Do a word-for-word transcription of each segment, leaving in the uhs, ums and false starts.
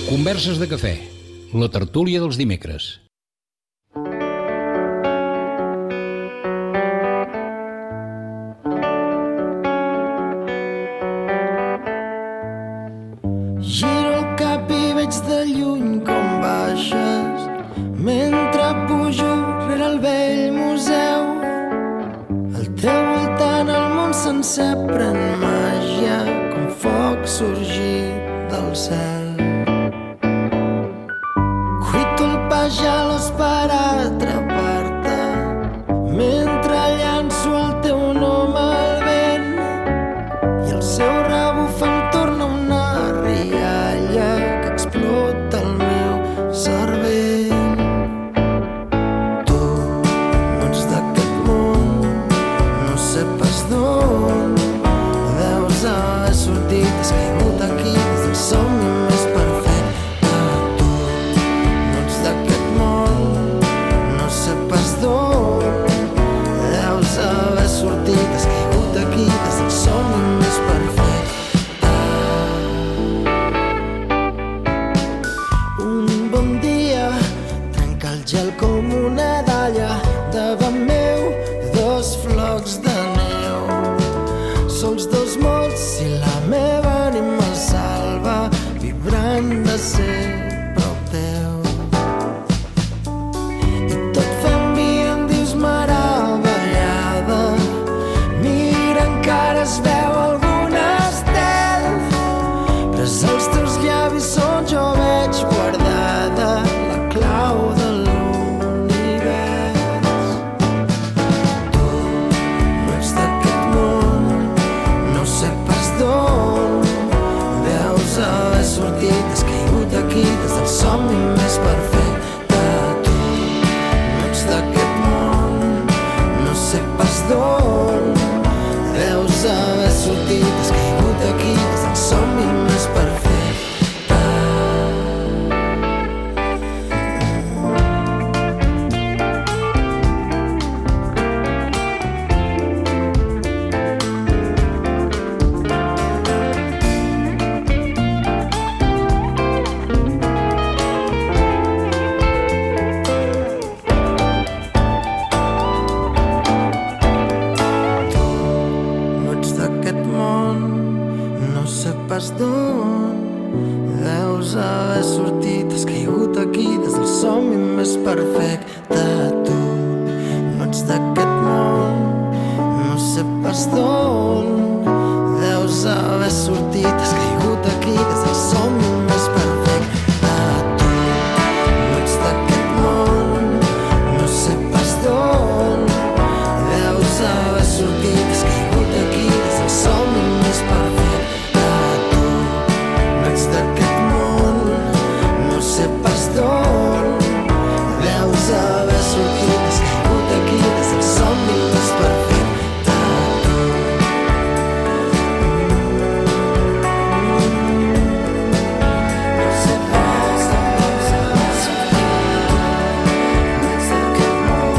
Converses de cafè, la tertúlia dels dimecres. Giro el cap i veig de lluny com baixes mentre pujo rere el vell museu. Al teu voltant el món sencer pren màgia com foc sorgit del cel. Gelos per atrapar-te mentre llanço el teu nom al vent i el seu rebuf em torna una rialla que explota el meu cervell. Tu no ets d'aquest món, no sé pas d'on deus haver sortit, has caigut aquí des del somni més perfecte. Deus haver sortit, has caigut aquí des del somni més perfecte. Un bon dia trenca el gel com una dalla davant meu, dos flocs de neu. Sols dos mots i la meva ànima el salva, vibrant de ser prop teu. Es veu algun estel, pres els teus llavis on jo veig guardada la clau de l'univers. Tu no ets d'aquest món, no sé pas d'on deus haver sortit, has caigut aquí des del somni més perfecte. Tu no ets d'aquest món, no sé pas d'on deus haver sortit, has caigut aquí des del somni més perfecte. D'on deus haver sortit, has caigut aquí des del somni més perfecte. Tu no ets d'aquest món, no sé pas d'on deus haver sortit, has caigut aquí des del somni més perfecte. Tu no ets d'aquest món, no sé pas d'on deus haver sortit, has caigut aquí des del somni més perfecte. D'aquest món, no sé pas d'on deus haver sortit, has caigut aquí des del somni més perfecte. No sé pas d'on deus haver sortit, no ets d'aquest món,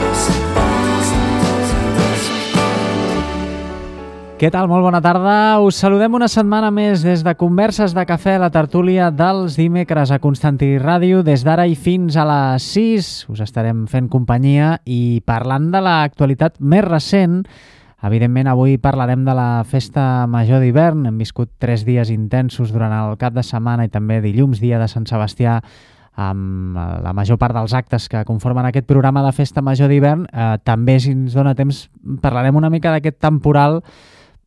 no sé pas d'on deus haver sortit. Què tal? Molt bona tarda. Us saludem una setmana més des de Converses de Cafè, la tertúlia dels dimecres a Constantí Ràdio. Des d'ara i fins a les sis us estarem fent companyia i parlant de l'actualitat més recent. Evidentment, avui parlarem de la Festa Major d'hivern. Hem viscut tres dies intensos durant el cap de setmana i també dilluns, dia de Sant Sebastià, amb la major part dels actes que conformen aquest programa de Festa Major d'hivern. Eh, també, si ens dona temps, parlarem una mica d'aquest temporal,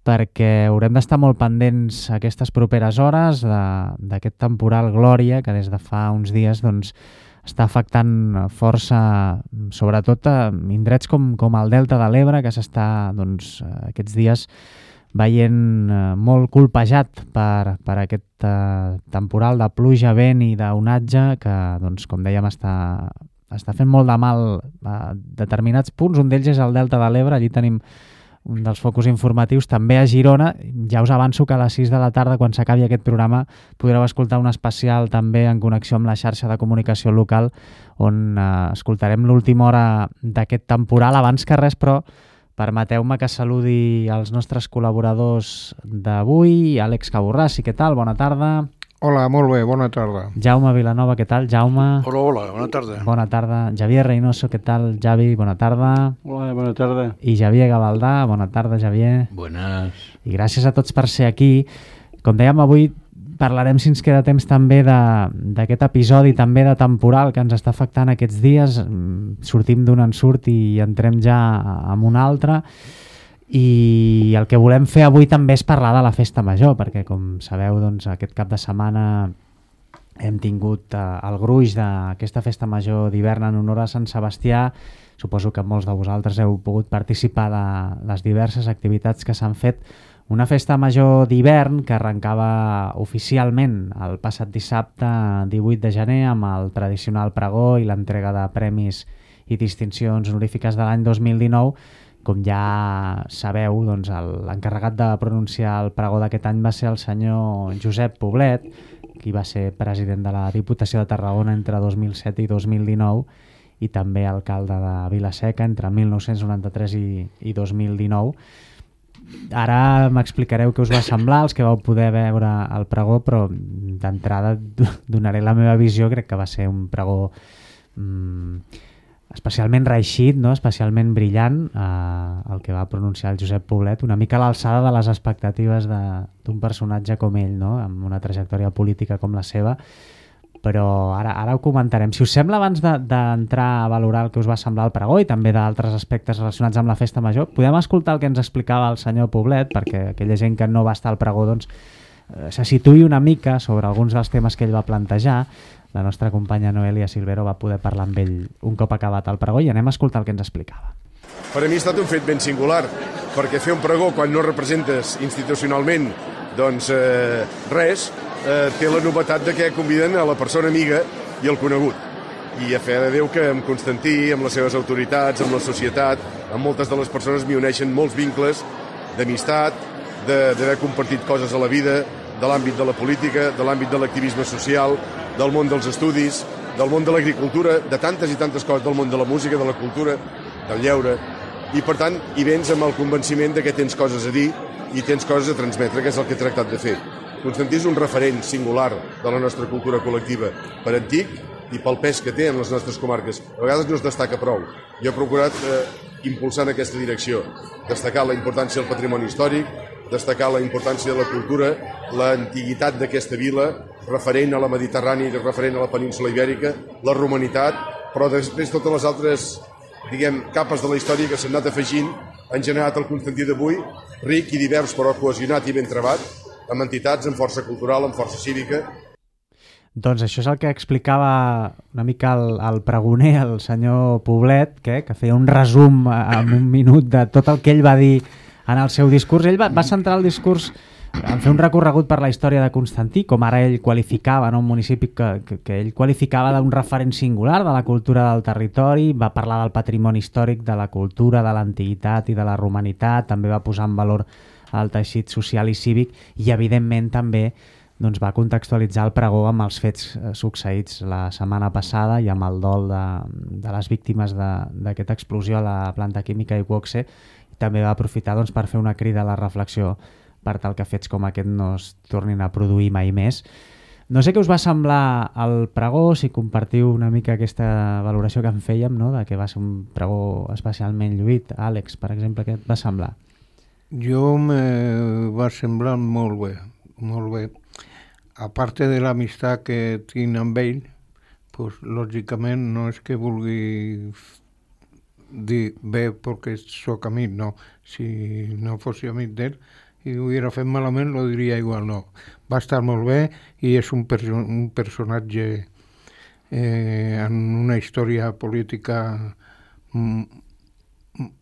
perquè haurem d'estar molt pendents aquestes properes hores d'aquest temporal Glòria, que des de fa uns dies doncs, està afectant força, sobretot a indrets com, com el Delta de l'Ebre, que s'està doncs, aquests dies veient molt colpejat per, per aquest uh, temporal de pluja, vent i d'onatge que, doncs, com dèiem, està està fent molt de mal a determinats punts. Un d'ells és el Delta de l'Ebre, allí tenim un dels focus informatius, també a Girona. Ja us avanço que a les sis de la tarda, quan s'acabi aquest programa, podreu escoltar un especial també en connexió amb la xarxa de comunicació local, on eh, escoltarem l'última hora d'aquest temporal. Abans que res, però, permeteu-me que saludi els nostres col·laboradors d'avui. Àlex Caborràs, què tal? Bona tarda. Hola, molt bé, bona tarda. Jaume Vilanova, què tal? Jaume. Hola, hola, bona tarda. Bona tarda. Javier Reynoso, què tal? Javi, bona tarda. Hola, bona tarda. I Javier Gavaldà, bona tarda, Javier. Buenas. I gràcies a tots per ser aquí. Com dèiem, avui parlarem, si ens queda temps, també d'aquest episodi, també de temporal que ens està afectant aquests dies. Sortim d'un ensurt i entrem ja en un altre. I el que volem fer avui també és parlar de la festa major, perquè com sabeu, doncs, aquest cap de setmana hem tingut eh, el gruix d'aquesta festa major d'hivern en honor a Sant Sebastià. Suposo que molts de vosaltres heu pogut participar de les diverses activitats que s'han fet. Una festa major d'hivern que arrencava oficialment el passat dissabte divuit de gener amb el tradicional pregó i l'entrega de premis i distincions honorífiques de l'any dos mil dinou. Com ja sabeu, doncs, l'encarregat de pronunciar el pregó d'aquest any va ser el senyor Josep Poblet, qui va ser president de la Diputació de Tarragona entre dos mil set i dos mil dinou i també alcalde de Vila-seca entre mil nou-cents noranta-tres i, i dos mil dinou. Ara m'explicareu què us va semblar, els que vau poder veure el pregó, però d'entrada donaré la meva visió. Crec que va ser un pregó mmm, especialment reeixit, no? Especialment brillant, eh, el que va pronunciar el Josep Poblet, una mica a l'alçada de les expectatives d'un personatge com ell, no? Amb una trajectòria política com la seva, però ara, ara ho comentarem. Si us sembla, abans d'entrar a valorar el que us va semblar el pregó i també d'altres aspectes relacionats amb la festa major, podem escoltar el que ens explicava el senyor Poblet, perquè aquella gent que no va estar al pregó doncs, eh, se situï una mica sobre alguns dels temes que ell va plantejar. La nostra companya Noelia Silvero va poder parlar amb ell un cop acabat el pregó i anem a escoltar el que ens explicava. Per a mi ha estat un fet ben singular, perquè fer un pregó quan no representes institucionalment doncs eh, res, eh, té la novetat de que conviden a la persona amiga i el conegut. I a fe de Déu que amb Constantí, amb les seves autoritats, amb la societat, amb moltes de les persones m'hi uneixen molts vincles d'amistat, d'haver compartit coses a la vida, de l'àmbit de la política, de l'àmbit de l'activisme social, del món dels estudis, del món de l'agricultura, de tantes i tantes coses, del món de la música, de la cultura, del lleure. I, per tant, hi vens amb el convenciment de que tens coses a dir i tens coses a transmetre, que és el que he tractat de fer. Constantí és un referent singular de la nostra cultura col·lectiva per antic i pel pes que té en les nostres comarques. A vegades no es destaca prou. Jo he procurat eh, impulsar en aquesta direcció, destacar la importància del patrimoni històric, destacar la importància de la cultura, l'antiguitat d'aquesta vila, referent a la Mediterrània i referent a la península Ibèrica, la romanitat, però després totes les altres, diguem, capes de la història que s'han anat afegint han generat el Constantí d'avui, ric i divers però cohesionat i ben trebat, amb entitats, amb força cultural, amb força cívica. Doncs això és el que explicava una mica el, el pregoner, el senyor Poblet, que, que feia un resum en un minut de tot el que ell va dir en el seu discurs. Ell va, va centrar el discurs en fer un recorregut per la història de Constantí, com ara ell qualificava, no? Un municipi que, que, que ell qualificava d'un referent singular de la cultura del territori, va parlar del patrimoni històric, de la cultura, de l'antiguitat i de la romanitat, també va posar en valor el teixit social i cívic i, evidentment, també doncs, va contextualitzar el pregó amb els fets succeïts la setmana passada i amb el dol de, de les víctimes d'aquesta explosió a la planta química Iqoxe. També va aprofitar doncs, per fer una crida a la reflexió per tal que fets com aquest no es tornin a produir mai més. No sé què us va semblar el pregó, si compartiu una mica aquesta valoració que en fèiem, no? De que va ser un pregó especialment lluït. Àlex, per exemple, què et va semblar? Jo me va semblar molt bé, molt bé. A part de l'amistat que tinc amb ell, pues, lògicament no és que vulgui dir bé perquè sóc amic, no. Si no fos amic d'ell i ho hubiera fet malament, lo diria igual, no. Va estar molt bé i és un, perso un personatge eh, en una història política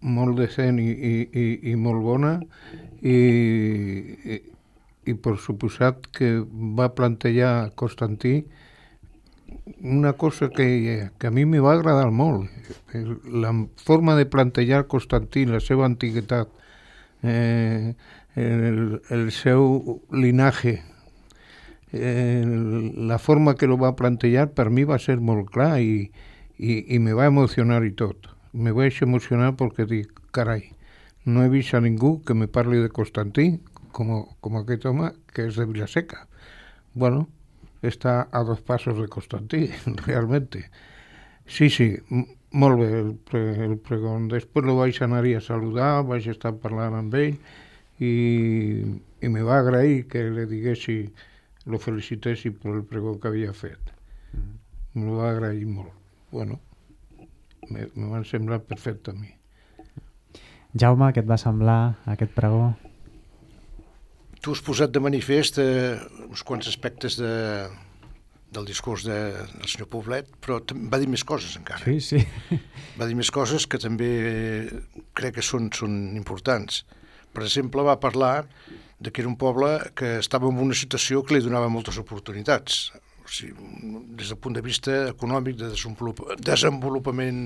molt decent i, i, i, i molt bona i, i, i per suposat que va plantejar Constantí una cosa que, que a mi me va agradar molt. La forma de plantejar Constantí, la seva antiguitat, eh, el, el seu linaje, eh, la forma que lo va plantejar per mi va ser molt clar i, i, i me va emocionar i tot. Me vaig emocionar perquè dic, carai, no he vist a ningú que me parli de Constantí com, com aquest home que és de Vilaseca. Bueno, està a dos passos de Constantí, realmente. Sí, sí, molt bé el, pre, el pregón. Després lo vaig anar a saludar, vaig estar parlant amb ell i, i me va agrair que le diguessi, lo felicitessi per el pregó que havia fet. Mm. Me lo va agrair molt. Bueno, me, me van semblar perfecte a mi. Jaume, què et va semblar aquest pregó? Tu has posat de manifest eh, uns quants aspectes de, del discurs de, del senyor Poblet, però va dir més coses encara. Sí, sí. Va dir més coses que també crec que són, són importants. Per exemple, va parlar de que era un poble que estava en una situació que li donava moltes oportunitats. O sigui, des del punt de vista econòmic, de desenvolupament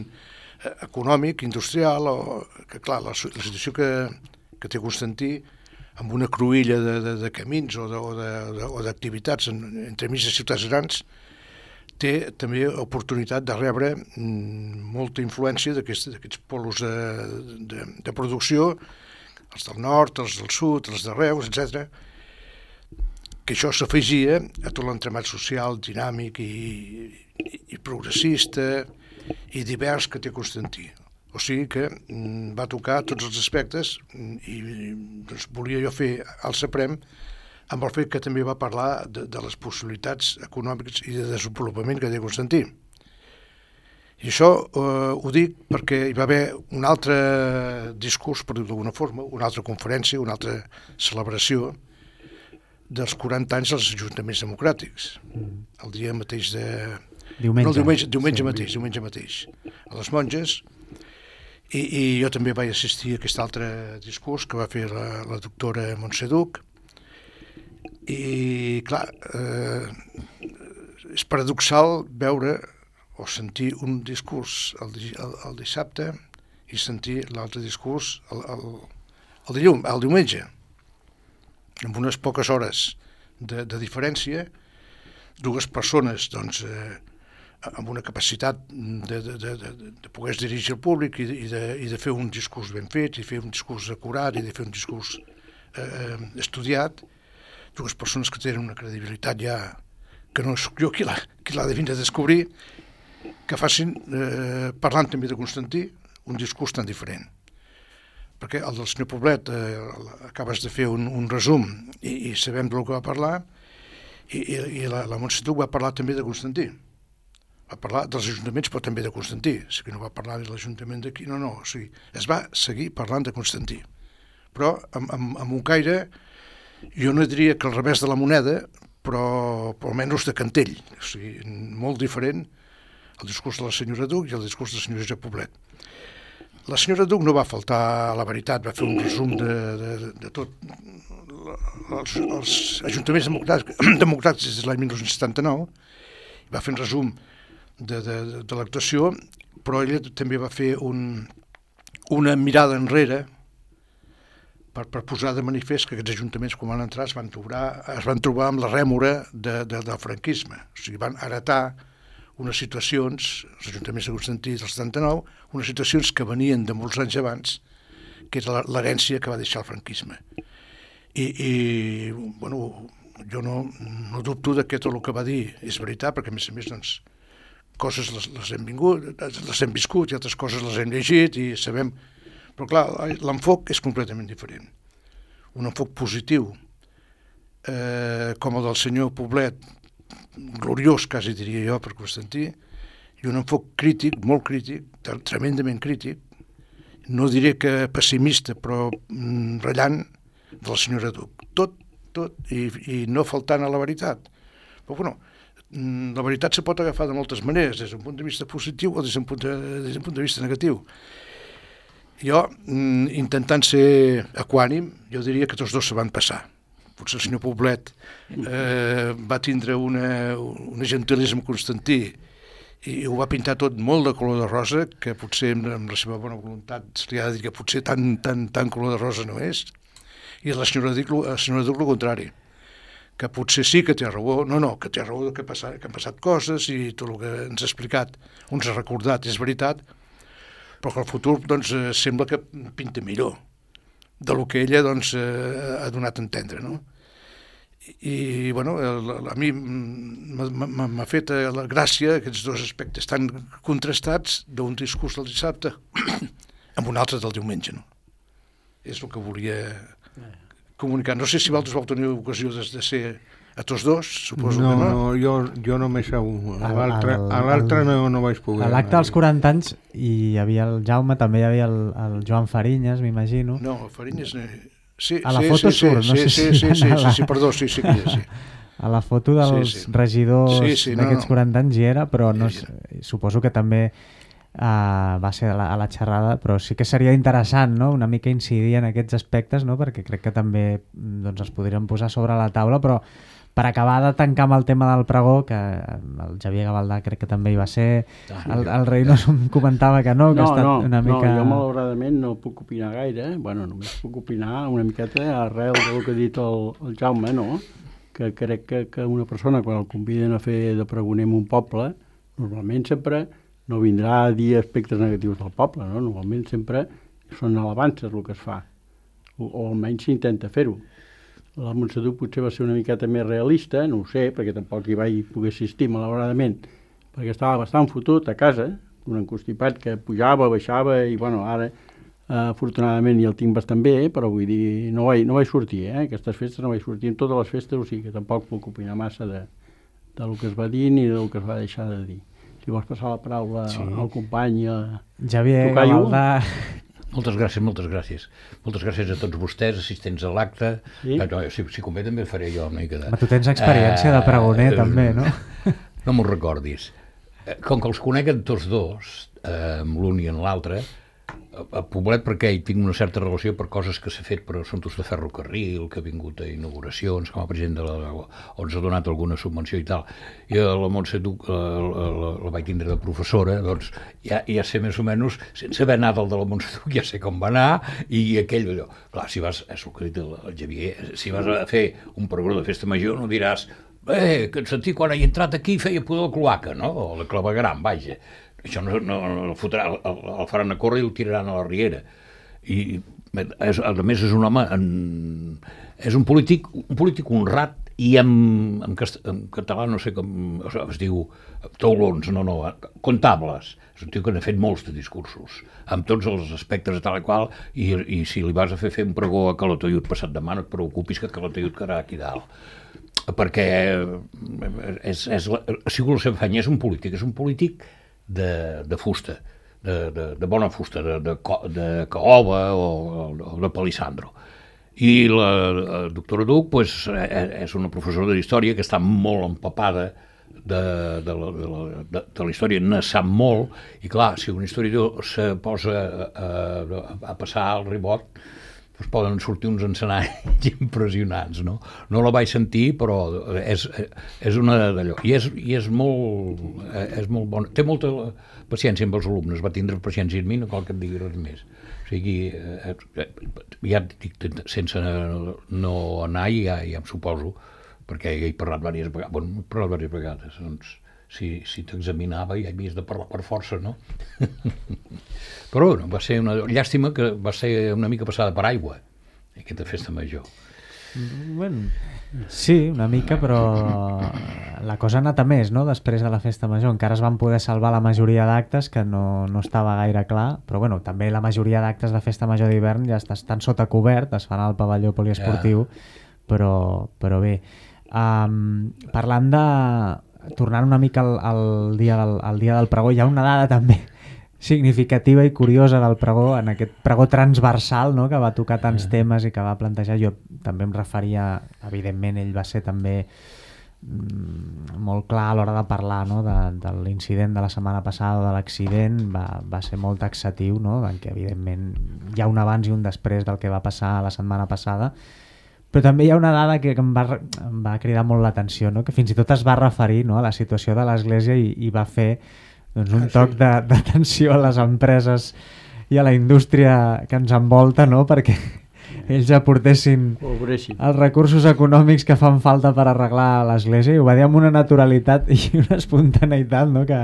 econòmic, industrial, o que clar, la, la situació que, que té Constantí, amb una cruïlla de, de, de camins o d'activitats entre mig de ciutats grans, té també oportunitat de rebre mm, molta influència d'aquests polos de, de, de producció, els del nord, els del sud, els de Reus, etcètera, que això s'afegia a tot l'entremat social dinàmic i, i, i progressista i divers que té Constantí. O sigui que mm, va tocar tots els aspectes i doncs, volia jo fer el Saprem amb el fet que també va parlar de, de les possibilitats econòmiques i de desenvolupament que té Constantí. I això eh, ho dic perquè hi va haver un altre discurs, per dir-ho d'alguna forma, una altra conferència, una altra celebració dels quaranta anys dels ajuntaments democràtics. Mm. El dia mateix de... Diumenge. No, el diumenge, diumenge sí, mateix, diumenge mateix. A les Monges. I, i jo també vaig assistir a aquest altre discurs que va fer la, la doctora Montse Duch. I, clar, eh, és paradoxal veure o sentir un discurs el, el, el dissabte i sentir l'altre discurs el, el, el, dilluns, el diumenge, amb unes poques hores de, de diferència, dues persones, doncs, eh, amb una capacitat de, de, de, de, de poder dirigir el públic i de, i de fer un discurs ben fet, i fer un discurs acurat, i de fer un discurs eh, estudiat, dues persones que tenen una credibilitat ja que no soc jo qui l'ha qui l'ha de vindre a descobrir, que facin, eh, parlant també de Constantí, un discurs tan diferent. Perquè el del senyor Poblet eh, acabes de fer un, un resum i, i sabem del que va parlar, i, i, i la, la Montse Duch va parlar també de Constantí. Va parlar dels ajuntaments, però també de Constantí. O sigui, no va parlar de l'Ajuntament d'aquí, no, no. O sigui, es va seguir parlant de Constantí. Però amb, amb, amb un caire, jo no diria que al revés de la moneda, però, però almenys de cantell. O sigui, molt diferent el discurs de la senyora Duch i el discurs del senyor Josep Poblet. La senyora Duch no va faltar a la veritat, va fer un resum de, de, de tot els, els ajuntaments democràtics, democràtics des de l'any dinou setanta-nou, va fer un resum de, de, de l'actuació, però ella també va fer un, una mirada enrere per, per posar de manifest que aquests ajuntaments, quan van entrar, es van trobar, es van trobar amb la rèmora de, de, del franquisme. O sigui, van heretar unes situacions, els ajuntaments de Constantí del setanta-nou, unes situacions que venien de molts anys abans, que era l'herència que va deixar el franquisme. I, i bueno, jo no, no dubto de que tot el que va dir és veritat, perquè a més a més, doncs, coses les, les hem vingut, les hem viscut i altres coses les hem llegit i sabem... Però clar, l'enfoc és completament diferent. Un enfoc positiu, eh, com el del senyor Poblet, gloriós, quasi diria jo, per Constantí, i un enfoc crític, molt crític, tremendament crític, no diré que pessimista, però mm, rellant, de la senyora Duch. Tot, tot, i, i no faltant a la veritat. Però, bueno, la veritat se pot agafar de moltes maneres, des d'un punt de vista positiu o des d'un punt de, des d'un punt de vista negatiu. Jo, intentant ser equànim, jo diria que tots dos se van passar. potser el senyor Poblet eh, va tindre una, una gentilesa amb Constantí i ho va pintar tot molt de color de rosa, que potser amb la seva bona voluntat se li ha de dir que potser tan, tan, tan color de rosa no és. I la senyora Duc, la senyora Duc, el contrari, que potser sí que té raó, no, no, que té raó que, passa, que han passat coses i tot el que ens ha explicat, ens ha recordat, és veritat, però que el futur doncs, sembla que pinta millor de lo que ella doncs, ha donat a entendre, no? I, bueno, a mi m'ha fet la gràcia aquests dos aspectes tan contrastats d'un discurs del dissabte amb un altre del diumenge, no? És el que volia comunicar. No sé si vosaltres vau tenir ocasió de, de ser a tots dos, suposo no, que no. No, jo, jo només a un. A l'altre no, no vaig poder. A l'acte dels quaranta anys hi havia el Jaume, també hi havia el, el Joan Farinyes, m'imagino. No, Farinyes... Sí, a la sí, foto sí, surt, sí, no sé sí, si... sí, sí, sí, sí, sí, perdó, sí, sí que hi és, sí. A la foto dels sí, sí. regidors sí, sí, no, d'aquests no. quaranta anys hi era, però no, Hi era. suposo que també uh, va ser a la, a la xerrada, però sí que seria interessant, no?, una mica incidir en aquests aspectes, no?, perquè crec que també doncs, es podrien posar sobre la taula, però per acabar de tancar amb el tema del pregó, que el Xavier Gavaldà crec que també hi va ser, el, el Reynoso em comentava que no, que no, ha estat no, una mica... No, jo malauradament no puc opinar gaire, bueno, només puc opinar una miqueta arrel del que ha dit el, el Jaume, no?, que crec que, que una persona quan el conviden a fer de pregoner en un poble, normalment sempre no vindrà a dir aspectes negatius del poble, no?, normalment sempre són alabances el que es fa, o, o almenys s'intenta fer-ho. La Montse Duc potser va ser una miqueta més realista, no ho sé, perquè tampoc hi vaig poder assistir malauradament, perquè estava bastant fotut a casa, un encostipat que pujava, baixava, i bueno, ara eh, afortunadament ja el tinc bastant bé, però vull dir, no vaig, no vaig sortir, eh? Aquestes festes no vaig sortir en totes les festes, o sigui que tampoc puc opinar massa de, del que es va dir ni del que es va deixar de dir. Si vols passar la paraula sí. al company... A... Xavier Gavaldà... Moltes gràcies, moltes gràcies. Moltes gràcies a tots vostès, assistents a l'acte. Sí? No, si, si convé també faré jo una mica de... Ma tu tens experiència uh, de pregoner uh, també, no? No m'ho recordis. Com que els conec tots dos, uh, amb l'un i en l'altre, a Poblet perquè hi tinc una certa relació per coses que s'ha fet per assumptes de ferrocarril, que ha vingut a inauguracions, com a president de la... on s'ha donat alguna subvenció i tal. I a la Montse Duc la, la, la, la vaig tindre de professora, doncs ja, ja sé més o menys, sense haver anat al de la Montse Duc, ja sé com va anar, i aquell allò. Clar, si vas, és el que ha dit el, el Xavier, si vas a fer un pregó de festa major no diràs eh, que et sentia quan he entrat aquí feia pudor la cloaca, no? O la clavegram, vaja. Això no, no, no el, fotrà, el, el faran a córrer i el tiraran a la riera. I és, a més és un home en, és un polític un polític honrat i en, en, cast, en català no sé com o sigui, es diu taulons, no, no, comptables. És un tio que n'ha fet molts de discursos amb tots els aspectes de tal i qual i, i si li vas a fer fer un pregó a Calatayud passat demà no et preocupis que Calatayud quedarà aquí dalt perquè és, és, ha sigut la seva feina, és un polític, és un polític De, de fusta, de, de, de bona fusta, de, de, de caoba o, o de palissandro. I la, la doctora Duc pues, és una professora d'història que està molt empapada de, de, la, de, la, de, de la història, ne sap molt, i clar, si un historiador se posa a, a, a passar el ribot, pues poden sortir uns encenalls impressionants, no? No la vaig sentir, però és, és una d'allò. I és, i és molt, és molt bona. Té molta paciència amb els alumnes, va tindre paciència amb mi, no cal que et digui res més. O sigui, ja dic, sense no anar, ja, ja em suposo, perquè ja he parlat diverses vegades, bueno, he parlat diverses vegades, doncs, si, si t'examinava ja havies de parlar per força, no? Però bueno, va ser una llàstima que va ser una mica passada per aigua, aquesta festa major. Bueno, sí, una mica, però la cosa ha anat a més, no?, després de la festa major. Encara es van poder salvar la majoria d'actes, que no, no estava gaire clar, però bueno, també la majoria d'actes de festa major d'hivern ja estan sota cobert, es fan al pavelló poliesportiu, ja. però, però bé. Um, parlant de... Tornant una mica al, al, dia del, al dia del pregó, hi ha una dada també significativa i curiosa del pregó, en aquest pregó transversal, no?, que va tocar tants temes i que va plantejar. Jo també em referia, evidentment ell va ser també mm, molt clar a l'hora de parlar, no?, de, de l'incident de la setmana passada, de l'accident, va, va ser molt taxatiu, no?, en què evidentment hi ha un abans i un després del que va passar la setmana passada, Però també hi ha una dada que em va, em va cridar molt l'atenció, no? Que fins i tot es va referir, no, a la situació de l'Església i, i va fer doncs, un toc de- d'atenció a les empreses i a la indústria que ens envolta, no? Perquè ells aportessin Col·laboressin. els recursos econòmics que fan falta per arreglar l'Església, i ho va dir amb una naturalitat i una espontaneïtat, no? que,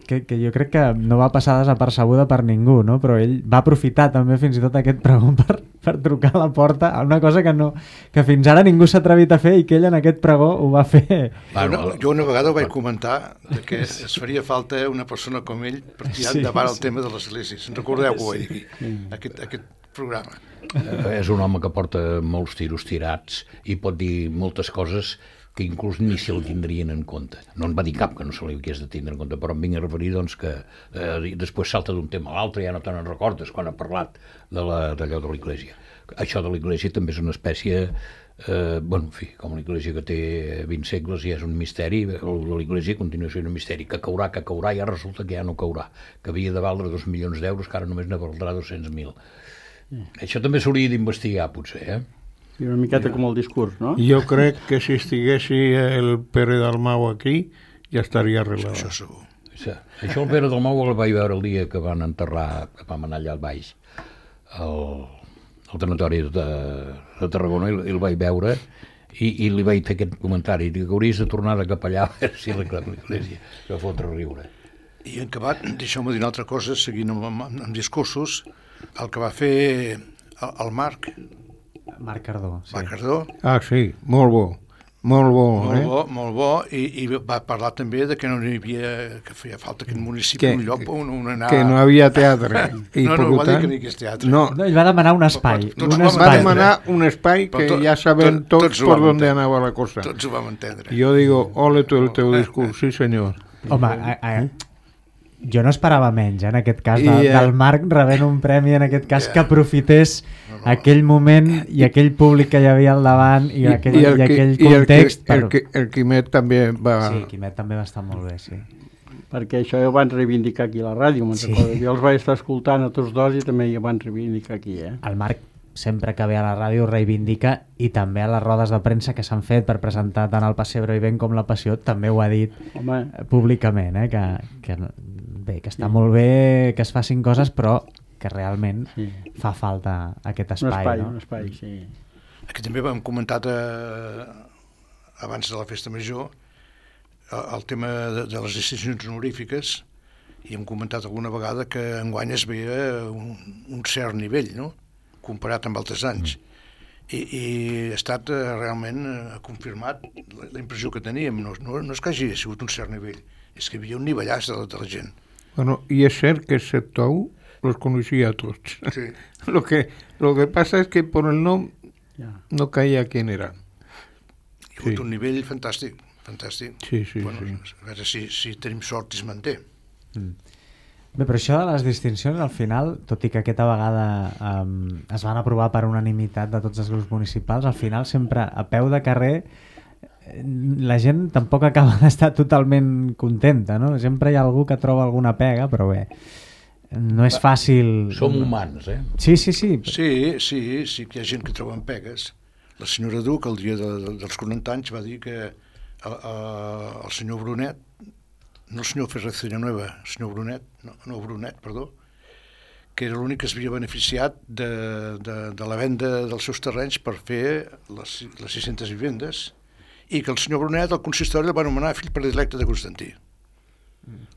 que, que jo crec que no va passar desapercebuda per ningú, no? Però ell va aprofitar també fins i tot aquest pregó per, per trucar a la porta, a una cosa que, no, que fins ara ningú s'ha atrevit a fer i que ell en aquest pregó ho va fer. Bueno, una, jo una vegada ho vaig comentar de que es faria falta una persona com ell per tirar Sí, endavant el sí. tema de l'Església. Se'n recordeu que ho vaig dir aquí, aquest, aquest programa. Eh, és un home que porta molts tiros tirats i pot dir moltes coses que inclús ni se'l tindrien en compte. No en va dir cap que no se li hagués de tindre en compte, però em vinc a referir doncs, que eh, després salta d'un tema a l'altre, ja no te n'en recordes quan ha parlat de la- d'allò de l'Església. Això de l'Església també és una espècie, eh, bueno, en fi, com l'Església que té vint segles ja és un misteri, l'Església continua sent un misteri, que caurà, que caurà, ja resulta que ja no caurà, que havia de valdre dos milions d'euros, que ara només ne valdrà dos-cents mil. Això també s'hauria d'investigar, potser, eh? I una miqueta com el discurs, no? Jo crec que si estiguessi el Pere Dalmau aquí ja estaria arreglat. Això segur. Sí. Això el Pere Dalmau el vaig veure el dia que van enterrar, que vam anar allà al baix, al, al tanatori de, de Tarragona, i el vaig veure i, i li vaig fer aquest comentari, dic que hauries de tornar de cap allà a veure si arregla l'Església, que va fotre a riure. I en acabat, deixeu-me dir una altra cosa, seguint amb, amb, amb discursos, el que va fer el, el Marc, Marc Cardó. sí. Marc Cardó, Ah, sí, molt bo, molt bo, molt eh? bo, molt bo, i, i va parlar també de que no hi havia, que feia falta aquest municipi, Que- un lloc on, on anar... Que no havia teatre. I No, per no, va dir tant, que no hi hagués teatre. No, No, ell va demanar un espai. Tots un vam va espai. demanar un espai que Però tot- ja sabem tot- tots tots ho por vam dónde entendre. anava la cosa. Tots ho vam entendre. Jo digo, ole tu el teu discurs, sí senyor. Home, a, a, jo no esperava menys, eh, en aquest cas, de, I, eh, del Marc rebent un premi, en aquest cas, Ja. que aprofités aquell moment i aquell públic que hi havia al davant i, aquell, i, el qui- aquell i el, context. qui- el, qui- el Quimet també va... Sí, Quimet també va estar molt bé, sí. Perquè això ja ho van reivindicar aquí a la ràdio, me'n Sí. recordo. Jo els vaig estar escoltant a tots dos i també ja van reivindicar aquí, eh? El Marc, sempre que ve a la ràdio, reivindica, i també a les rodes de premsa que s'han fet per presentar tant el Passebre i Ben com la Passió, també ho ha dit Home, eh, públicament, eh, que, que, bé, que està molt bé que es facin coses, però que realment sí. fa falta aquest Un espai, espai, no? un espai, sí. Aquí també hem comentat eh, abans de la festa major el, el tema de, de les distincions honorífiques, i hem comentat alguna vegada que enguany es veia un, un cert nivell, no?, comparat amb altres anys. I, i ha estat eh, realment eh, confirmat la, la impressió que teníem. No, no, no és que hagi sigut un cert nivell, és que hi havia un nivellàs de, la- de la gent. Bueno, y es ser que excepto aún los conocía a todos. Sí. Lo que, lo que pasa es que por el nombre Ja. no caía quién era. Hi ha hagut Sí. un nivell fantàstic, fantàstic. Sí, sí, bueno, sí. A veure si, si tenim sort i es manté. Bé, però això de les distincions, al final, tot i que aquesta vegada um, es van aprovar per unanimitat de tots els grups municipals, al final sempre a peu de carrer eh, la gent tampoc acaba d'estar totalment contenta, no? Sempre hi ha algú que troba alguna pega, però bé, no és fàcil... Som humans, eh? Sí, sí, sí. Sí, sí, sí que hi ha gent que troben pegues. La senyora Duc, el dia de, de, dels quaranta anys, va dir que el, el senyor Brunet, no el senyor Ferrer Nueva, el senyor Brunet, no, no Brunet, perdó, que era l'únic que es havia beneficiat de, de, de la venda dels seus terrenys per fer les, les sis-centes vivendes, i que el senyor Brunet, el consistori, el va anomenar fill predilecte de Constantí.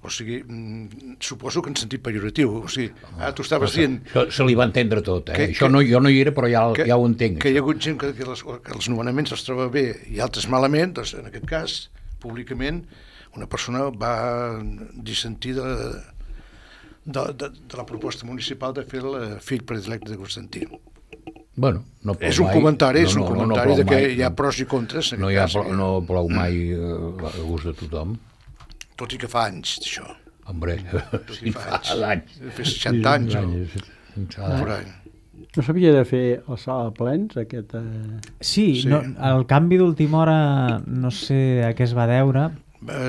O sigui, mm, suposo que en sentit pejoratiu. O sigui, ah, tu estaves dient Això se li va entendre tot, eh? Que- Això que- no, jo no hi era, però ja, que, ja ho entenc. que hi ha hagut gent que, que, les, que els nomenaments els troba bé i altres malament, doncs en aquest cas, públicament, una persona va dissentir de, de, de, de la proposta municipal de fer el fill predilecte de Constantí. Bueno, no plou És un mai. comentari, és un no, no, comentari no de que mai. hi ha pros i contres. En No, aquest hi ha, cas, plou- no plou mai eh, a gust de tothom. Tot i que fa anys, d'això. Hombre, Sí, fa anys. fa anys. Fa seixanta anys. o- Anys. por ahí. No s'havia de fer el sala de plens, aquest... Eh... Sí, Sí. no, el canvi d'última hora no sé a què es va deure,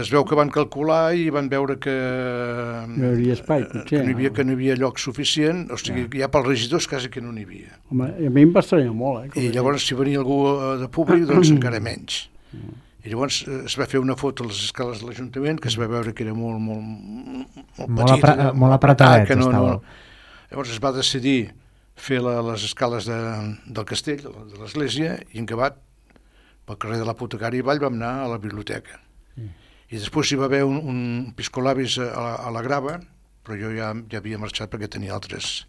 es veu que van calcular i van veure que no hi hauria espai, potser. Que no hi havia, que no hi havia lloc suficient, o sigui, ja, ja pels regidors quasi que no n'hi havia. Home, a mi em va estranyar molt, eh? I llavors, si venia algú de públic, doncs encara menys. I llavors es va fer una foto a les escales de l'Ajuntament, que es va veure que era molt, molt, molt, molt petit, apre, molt apretadet que no, estava. No. Llavors es va decidir fer la, les escales de, del castell, de l'església, i en acabat, pel carrer de l'Apotecari Vall, vam anar a la biblioteca. Mm. I després hi va haver un, un piscolabis a la, a la grava, però jo ja, ja havia marxat perquè tenia altres...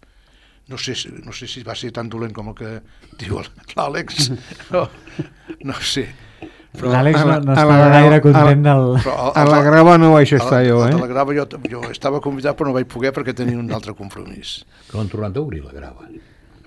No sé, no sé si va ser tan dolent com el que diu l'Àlex, no, no sé. L'Àlex no, no a la- estava a la gaire grava- content del... Però A la grava no vaig estar jo, A eh? la grava jo, jo estava convidat però no vaig poder perquè tenia un altre compromís. Que l'han tornat a obrir, la grava.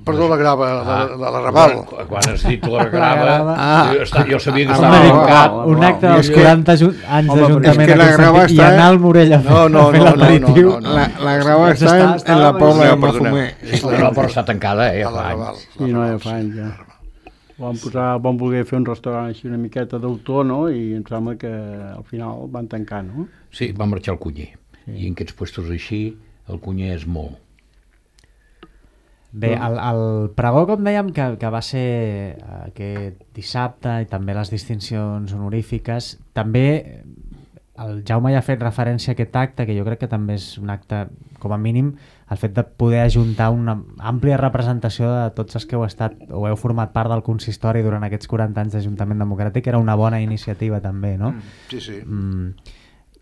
Perdó, la grava, la, Ah. la, la Raval. Quan, quan has dit la grava, grava. Ah. jo, esta- jo sabia que Ah, estava va, tancat. va, Un acte I dels és que- quaranta aju- anys Home, d'Ajuntament és que la a grava Constantí i està- anar al Morell a fer, No, no, a fer no, no, l'aperitiu. no, no, no. La, la grava Doncs està està- en, en estava la Pobla de No, perdoneu. Mafumer. És la No, però està tancada, eh, a la fa Raval. anys. Sí, no, ja fa anys, ja. Vam, posar, vam voler fer un restaurant així una miqueta d'autor, no? I em sembla que al final van tancar, no? Sí, va marxar el Cunyer. I en aquests puestos així, el Cunyer és molt. Bé, el, el pregó, com dèiem, que, que va ser aquest dissabte i també les distincions honorífiques, també el Jaume ja ha fet referència a aquest acte, que jo crec que també és un acte, com a mínim, el fet de poder ajuntar una àmplia representació de tots els que heu estat o heu format part del consistori durant aquests quaranta anys d'Ajuntament Democràtic, era una bona iniciativa també, no? Sí, sí. Mm.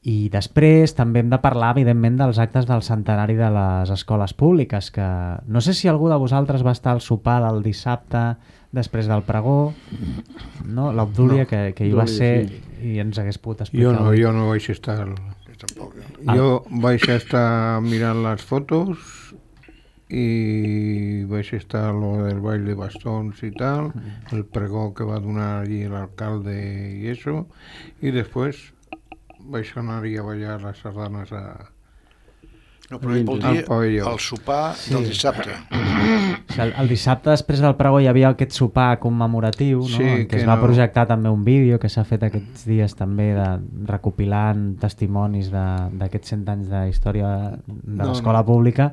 I després també hem de parlar, evidentment, dels actes del centenari de les escoles públiques, que no sé si algú de vosaltres va estar al sopar del dissabte després del pregó, no? L'Obdúlia, no, que, que hi va Obdúlia, ser sí. i ens hagués pogut explicar. Jo no, jo no vaig estar... Jo tampoc. Eh? Jo vaig estar mirant les fotos i vaig estar a lo del ball de bastons i tal, el pregó que va donar allí l'alcalde i això, i després vaig anar-hi a ballar les sardanes a... No, però ell vol Al dir pavelló. el sopar Sí. del dissabte. O sigui, el, el dissabte després del pregó hi havia aquest sopar commemoratiu, no? Sí, en què que es va no- projectar també un vídeo que s'ha fet aquests dies també de, recopilant testimonis de- d'aquests cent anys de història de No, l'escola no. pública.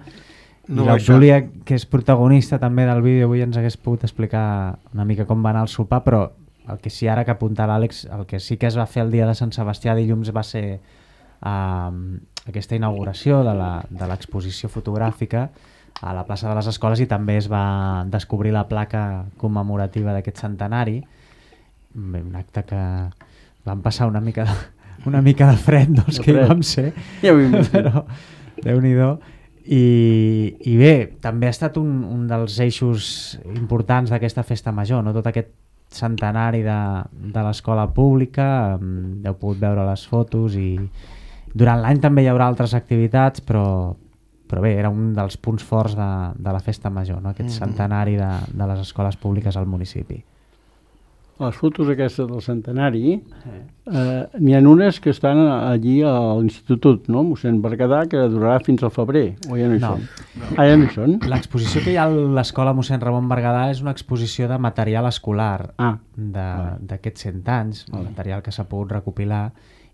No I vaig l'Obdúlia, que és protagonista també del vídeo, avui ens hagués pogut explicar una mica com va anar el sopar, però el que sí ara que apunta l'Àlex, el que sí que es va fer el dia de Sant Sebastià dilluns va ser uh, aquesta inauguració de la- de l'exposició fotogràfica a la plaça de les Escoles i també es va descobrir la placa commemorativa d'aquest centenari. Bé, un acte que vam passar una mica de, una mica de fred, doncs, De que hi fred. vam ser, Ja ho imagino. però Déu-n'hi-do. I, I bé, també ha estat un, un dels eixos importants d'aquesta festa major, no? Tot aquest centenari de, de l'escola pública, um, heu pogut veure les fotos i durant l'any també hi haurà altres activitats, però, però bé, era un dels punts forts de, de la festa major, no? Aquest centenari de, de les escoles públiques al municipi. Les fotos aquestes del centenari, eh, n'hi ha unes que estan allí a l'Institut, no? Mossèn Berguedà, que durarà fins al febrer, o ja no hi No. són? Ah, ja no hi són? L'exposició que hi ha a l'escola mossèn Ramon Berguedà és una exposició de material escolar Ah, de- d'aquests cent anys, el material que s'ha pogut recopilar,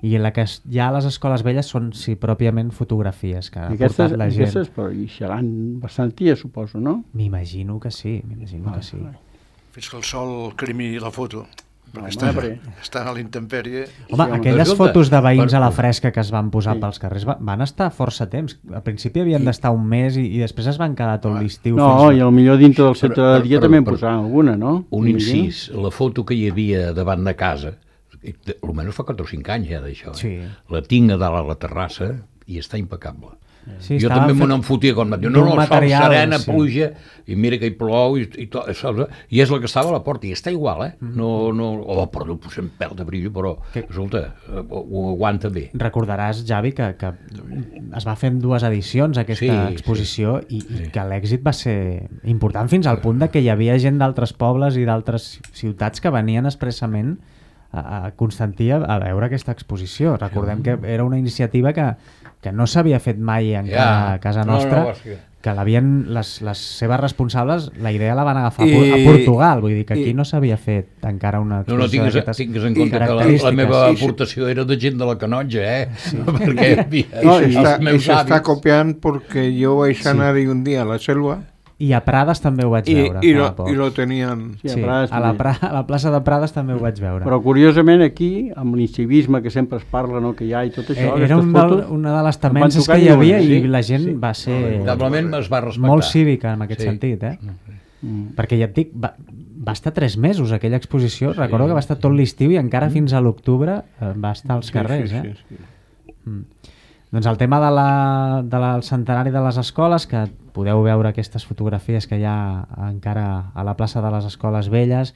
i la que es- hi ha a les escoles velles són, sí, pròpiament fotografies que ha i aquestes, portat la gent. aquestes però hi seran bastant ties, suposo, no? M'imagino que sí, m'imagino que sí. Fins que el sol cremi la foto. Perquè Home, estan, però- estan a l'intempèrie. Home, home. aquelles Escolta, fotos de veïns per- a la fresca que es van posar Sí. pels carrers va- van estar força temps. Al principi havien d'estar un mes i, i després es van quedar tot l'estiu. No, fins i al millor dintre del centre Però- de dia però- també en però- posaran alguna, no? Un M'imagino. incís, la foto que hi havia davant de casa, i de- almenys fa quatre o cinc anys ja d'això, eh? Sí. La tinc a dalt a la terrassa i està impecable. Sí, jo estava també me fet n'en fotia quan em diu, d'un no, no, sol, material, serena, sí. pluja, i mira que hi plou, i, i, tot, saps? I és la que estava a la porta, i està igual, eh? No, no, oh, perdó, posem pèl de brillo, però, Que- escolta, ho, ho aguanta bé. Recordaràs, Javi, que, que es va fer en dues edicions aquesta Sí, exposició i, i Sí. que l'èxit va ser important fins al punt de que hi havia gent d'altres pobles i d'altres ciutats que venien expressament a, a Constantí a, a veure aquesta exposició. Recordem que era una iniciativa que, que no s'havia fet mai encara Ja. a casa No, no, nostra, no, sí. que l'havien, les, les seves responsables, la idea la van agafar I- I, a Portugal, vull dir que aquí i- no s'havia fet encara una No, no, exposició tingues, d'aquestes tingues en compte que la, característiques. la meva Sí, sí. aportació era de gent de la Canonja, eh? Sí. Perquè havia, No, els está, y meus se está avis... copiando porque yo vais a anar un día a la selva I a Prades també ho vaig y, veure. y, fa lo, poc. y lo tenían... Sí, a Sí, Prades a la, també. pra, a la plaça de Prades també ho vaig veure. Però curiosament aquí, amb l'incivisme que sempre es parla, no, que hi ha i tot això, Eh, Era aquestes un del, fotos... una de les em van temences tocar que hi i havia diuen, i sí, la gent sí. va ser Veritablement es va respectar. molt cívica en aquest Sí. sentit, eh? Mm. Perquè ja et dic, va, va estar tres mesos aquella exposició, recordo que va estar tot l'estiu i encara fins a l'octubre eh, va estar als carrers, sí, eh? sí, sí. Mm. Doncs el tema de la, de la, del centenari de les escoles, que podeu veure aquestes fotografies que hi ha encara a la plaça de les Escoles Velles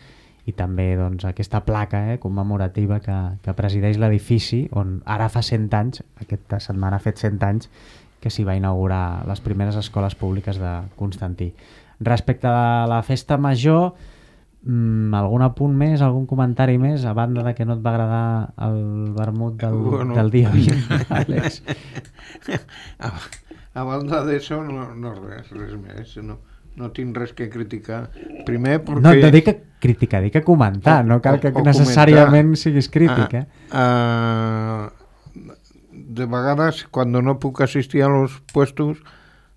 i també doncs, aquesta placa eh, commemorativa que, que presideix l'edifici on ara fa cent anys, aquesta setmana ha fet cent anys, que s'hi va inaugurar les primeres escoles públiques de Constantí. Respecte a la festa major, Mm, algun apunt més, algun comentari més, a banda de que no et va agradar el vermut del, Bueno. del dia vint, Àlex? A, a banda d'això, no, no res, res més. No, no tinc res que criticar. Primer perquè... No, no dic que criticar, dic que comentar, O- no cal que o- o necessàriament comentar. siguis crític, eh? Ah, ah, de vegades, cuando no puc asistir a los puestos,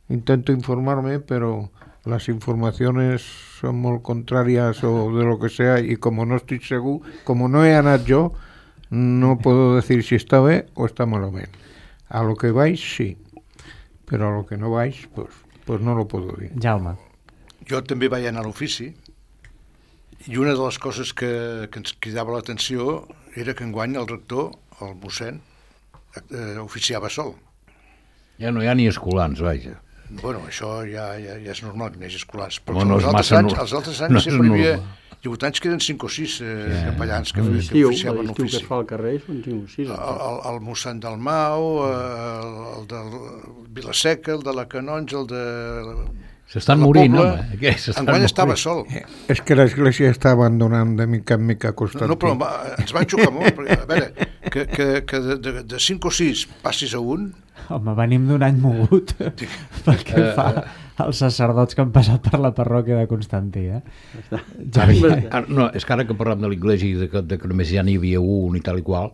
intento informarme, pero las informaciones son muy contrarias o de lo que sea, y como no estoy seguro, como no he anat yo, no puedo decir si está bé o está malament. A lo que vais, sí, pero a lo que no vais, pues, pues no lo puedo dir. Jaume. Jo també vaig anar a l'ofici i una de les coses que, que ens cridava l'atenció era que enguany el rector, el mossèn, eh, oficiava sol. Ja no hi ha ni escolans, vaja. Bueno, això ja, ja, ja és normal que n'hi hagi escolars, però Home, no els, és altres massa anys, nor- els altres no anys és sempre hi havia... normal. Hi ha hagut anys que eren cinc o sis eh, Sí. capellans que, que L'estiu, oficiaven l'estiu que l'ofici. es fa al carrer són cinc o sis. El, el, el mossèn del Mau, eh, el del Vilaseca, el de la Canonja, el de... S'estan la morint, Pobla. home. Què? S'estan Enguany estava morint. sol. Es que la iglesia está abandonando de mica en mica No, Constantí. no, però em va, ens va xocar molt, perquè, a veure, que, que, que de, de, de cinc o sis passis a un, Home, venim d'un any mogut pel que Eh, fa als sacerdots que han passat per la parròquia de Constantí, eh? Ah, no, és que ara que parlem de l'Iglésia i de que, de que només ja n'hi havia un i tal i qual,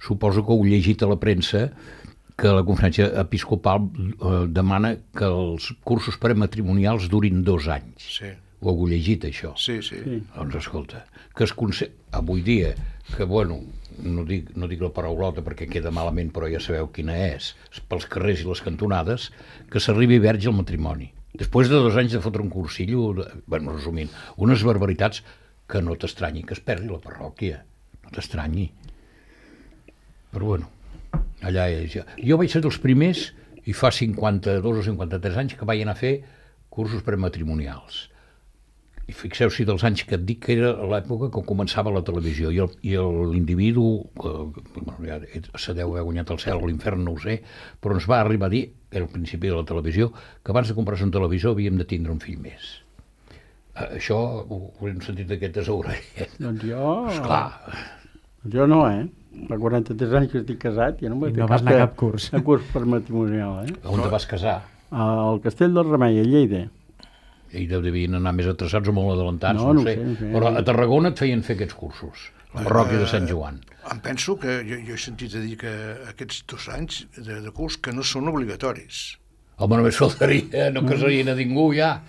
suposo que heu llegit a la premsa que la conferència episcopal eh, demana que els cursos prematrimonials durin dos anys. sí, Ho heu llegit, això? sí, sí. Sí. Doncs escolta, que es conse... avui dia, que bueno, no dic, no dic la paraulota perquè queda malament, però ja sabeu quina és, pels carrers i les cantonades, que s'arribi verge al matrimoni. Després de dos anys de fotre un cursillo, de, bueno, resumint, unes barbaritats que no t'estranyi que es perdi la parròquia, no t'estranyi. Però bueno, allà és ja. Jo vaig ser dels primers, i fa cinquanta-dos o cinquanta-tres anys, que vaig anar a fer cursos prematrimonials. I fixeu-s'hi dels anys que et dic que era l'època que començava la televisió i el- i el- l'individu, que bueno, ja se deu haver guanyat el cel o l'infern, no ho sé, però ens va arribar a dir, era al principi de la televisió, que abans de comprar-se un televisor havíem de tindre un fill més. Eh, Això ho, ho hem sentit d'aquestes orelles. Doncs jo... Esclar, Jo no, eh? Fa quaranta-tres anys que estic casat i no vaig I fer no vas anar a cap curs. A curs per matrimonial, eh? on te vas casar? Al Castell del Remei, a Lleida. I devien anar més atrasats o molt adelantats, No, no, no ho ho sé. sé, no ho sé. Però a Tarragona et feien fer aquests cursos, la parròquia de Sant Joan. Em penso que jo, jo he sentit a dir que aquests dos anys de, de curs que no són obligatoris, Home, només faltaria, no casarien a ningú ja.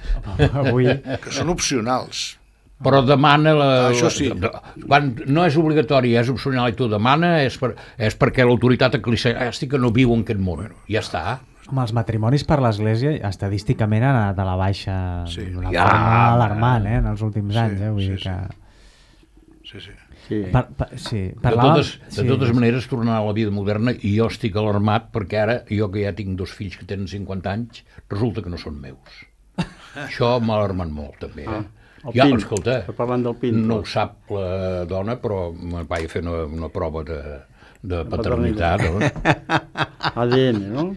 Avui, que són opcionals. Però demana... La, Ah, això sí. La, quan no és obligatori, és opcional i tu demana, és, per, és perquè l'autoritat eclesiàstica no viu en aquest món. Ja està. home, els matrimonis per l'Església estadísticament han anat a la baixa Sí. d'una Ja, forma home. alarmant, eh, en els últims Sí, anys, eh? Vull sí, dir sí. que... Sí, sí. Sí. Per, per, sí, De parlàvem... totes, de totes maneres, tornar a la vida moderna, i jo estic alarmat perquè ara, jo que ja tinc dos fills que tenen cinquanta anys, resulta que no són meus. Això m'ha alarmat molt, també. Eh? El Ja, Pint, escolta, parlant del Pint, no ho però. sap la dona, però me vaig fer una, una prova de, de paternitat. No? A D N, no?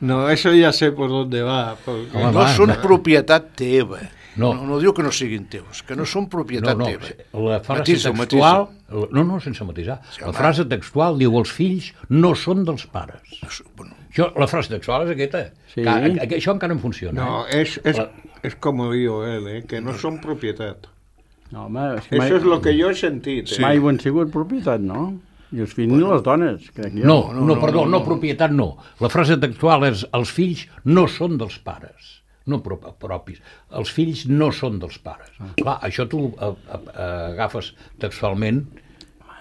No, eso ya sé por dónde va. Porque... Home, No va, són va. propietat teva. No. no, no diu que no siguin teus, que no són propietat no, no, teva. la frase Matisa, textual... matisa. No, no, sense matisar. Sí, la home. frase textual diu els fills no són dels pares. Bueno, Això, la frase textual és aquesta. Sí. Que, que, això encara no funciona. No, eh? es, es, La- es como digo él, ¿eh? Que no son propiedad. No, home, és que mai, Eso es lo que yo he sentido. Sí. ¿eh? mai ho han sigut propietat, no? I els fills ni les dones, crec jo. No, no, no, no, no, perdó, no, no, no. propietat no. La frase textual és els fills no són dels pares, no pro propis. Els fills no són dels pares. Ah. Clar, això tu a, a, a, agafes textualment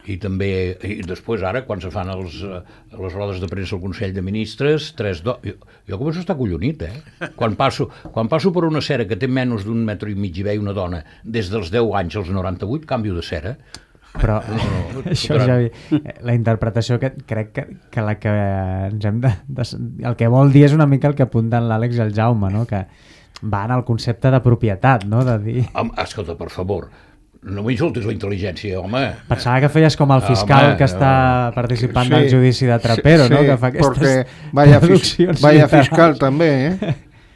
i també, i després ara, quan se fan els, eh, les rodes de premsa al Consell de Ministres, tres do... jo, jo començo a estar collonit, eh? Quan passo, quan passo per una cera que té menys d'un metro i mig i veia una dona des dels deu anys als noranta-vuit, canvio de cera. Però això, Javi, la interpretació que crec que, que la que ens hem de, de... El que vol dir és una mica el que apunten l'Àlex i el Jaume, no? Que va en el concepte de propietat, no? De dir... Home, escolta, per favor, no m'insultis la intel·ligència, home. Pensava que feies com el fiscal Home, que està no. participant Sí, del judici de Trapero, sí, no? Que fa aquestes porque vaya, fis, traduccions vaya literals. fiscal també, eh?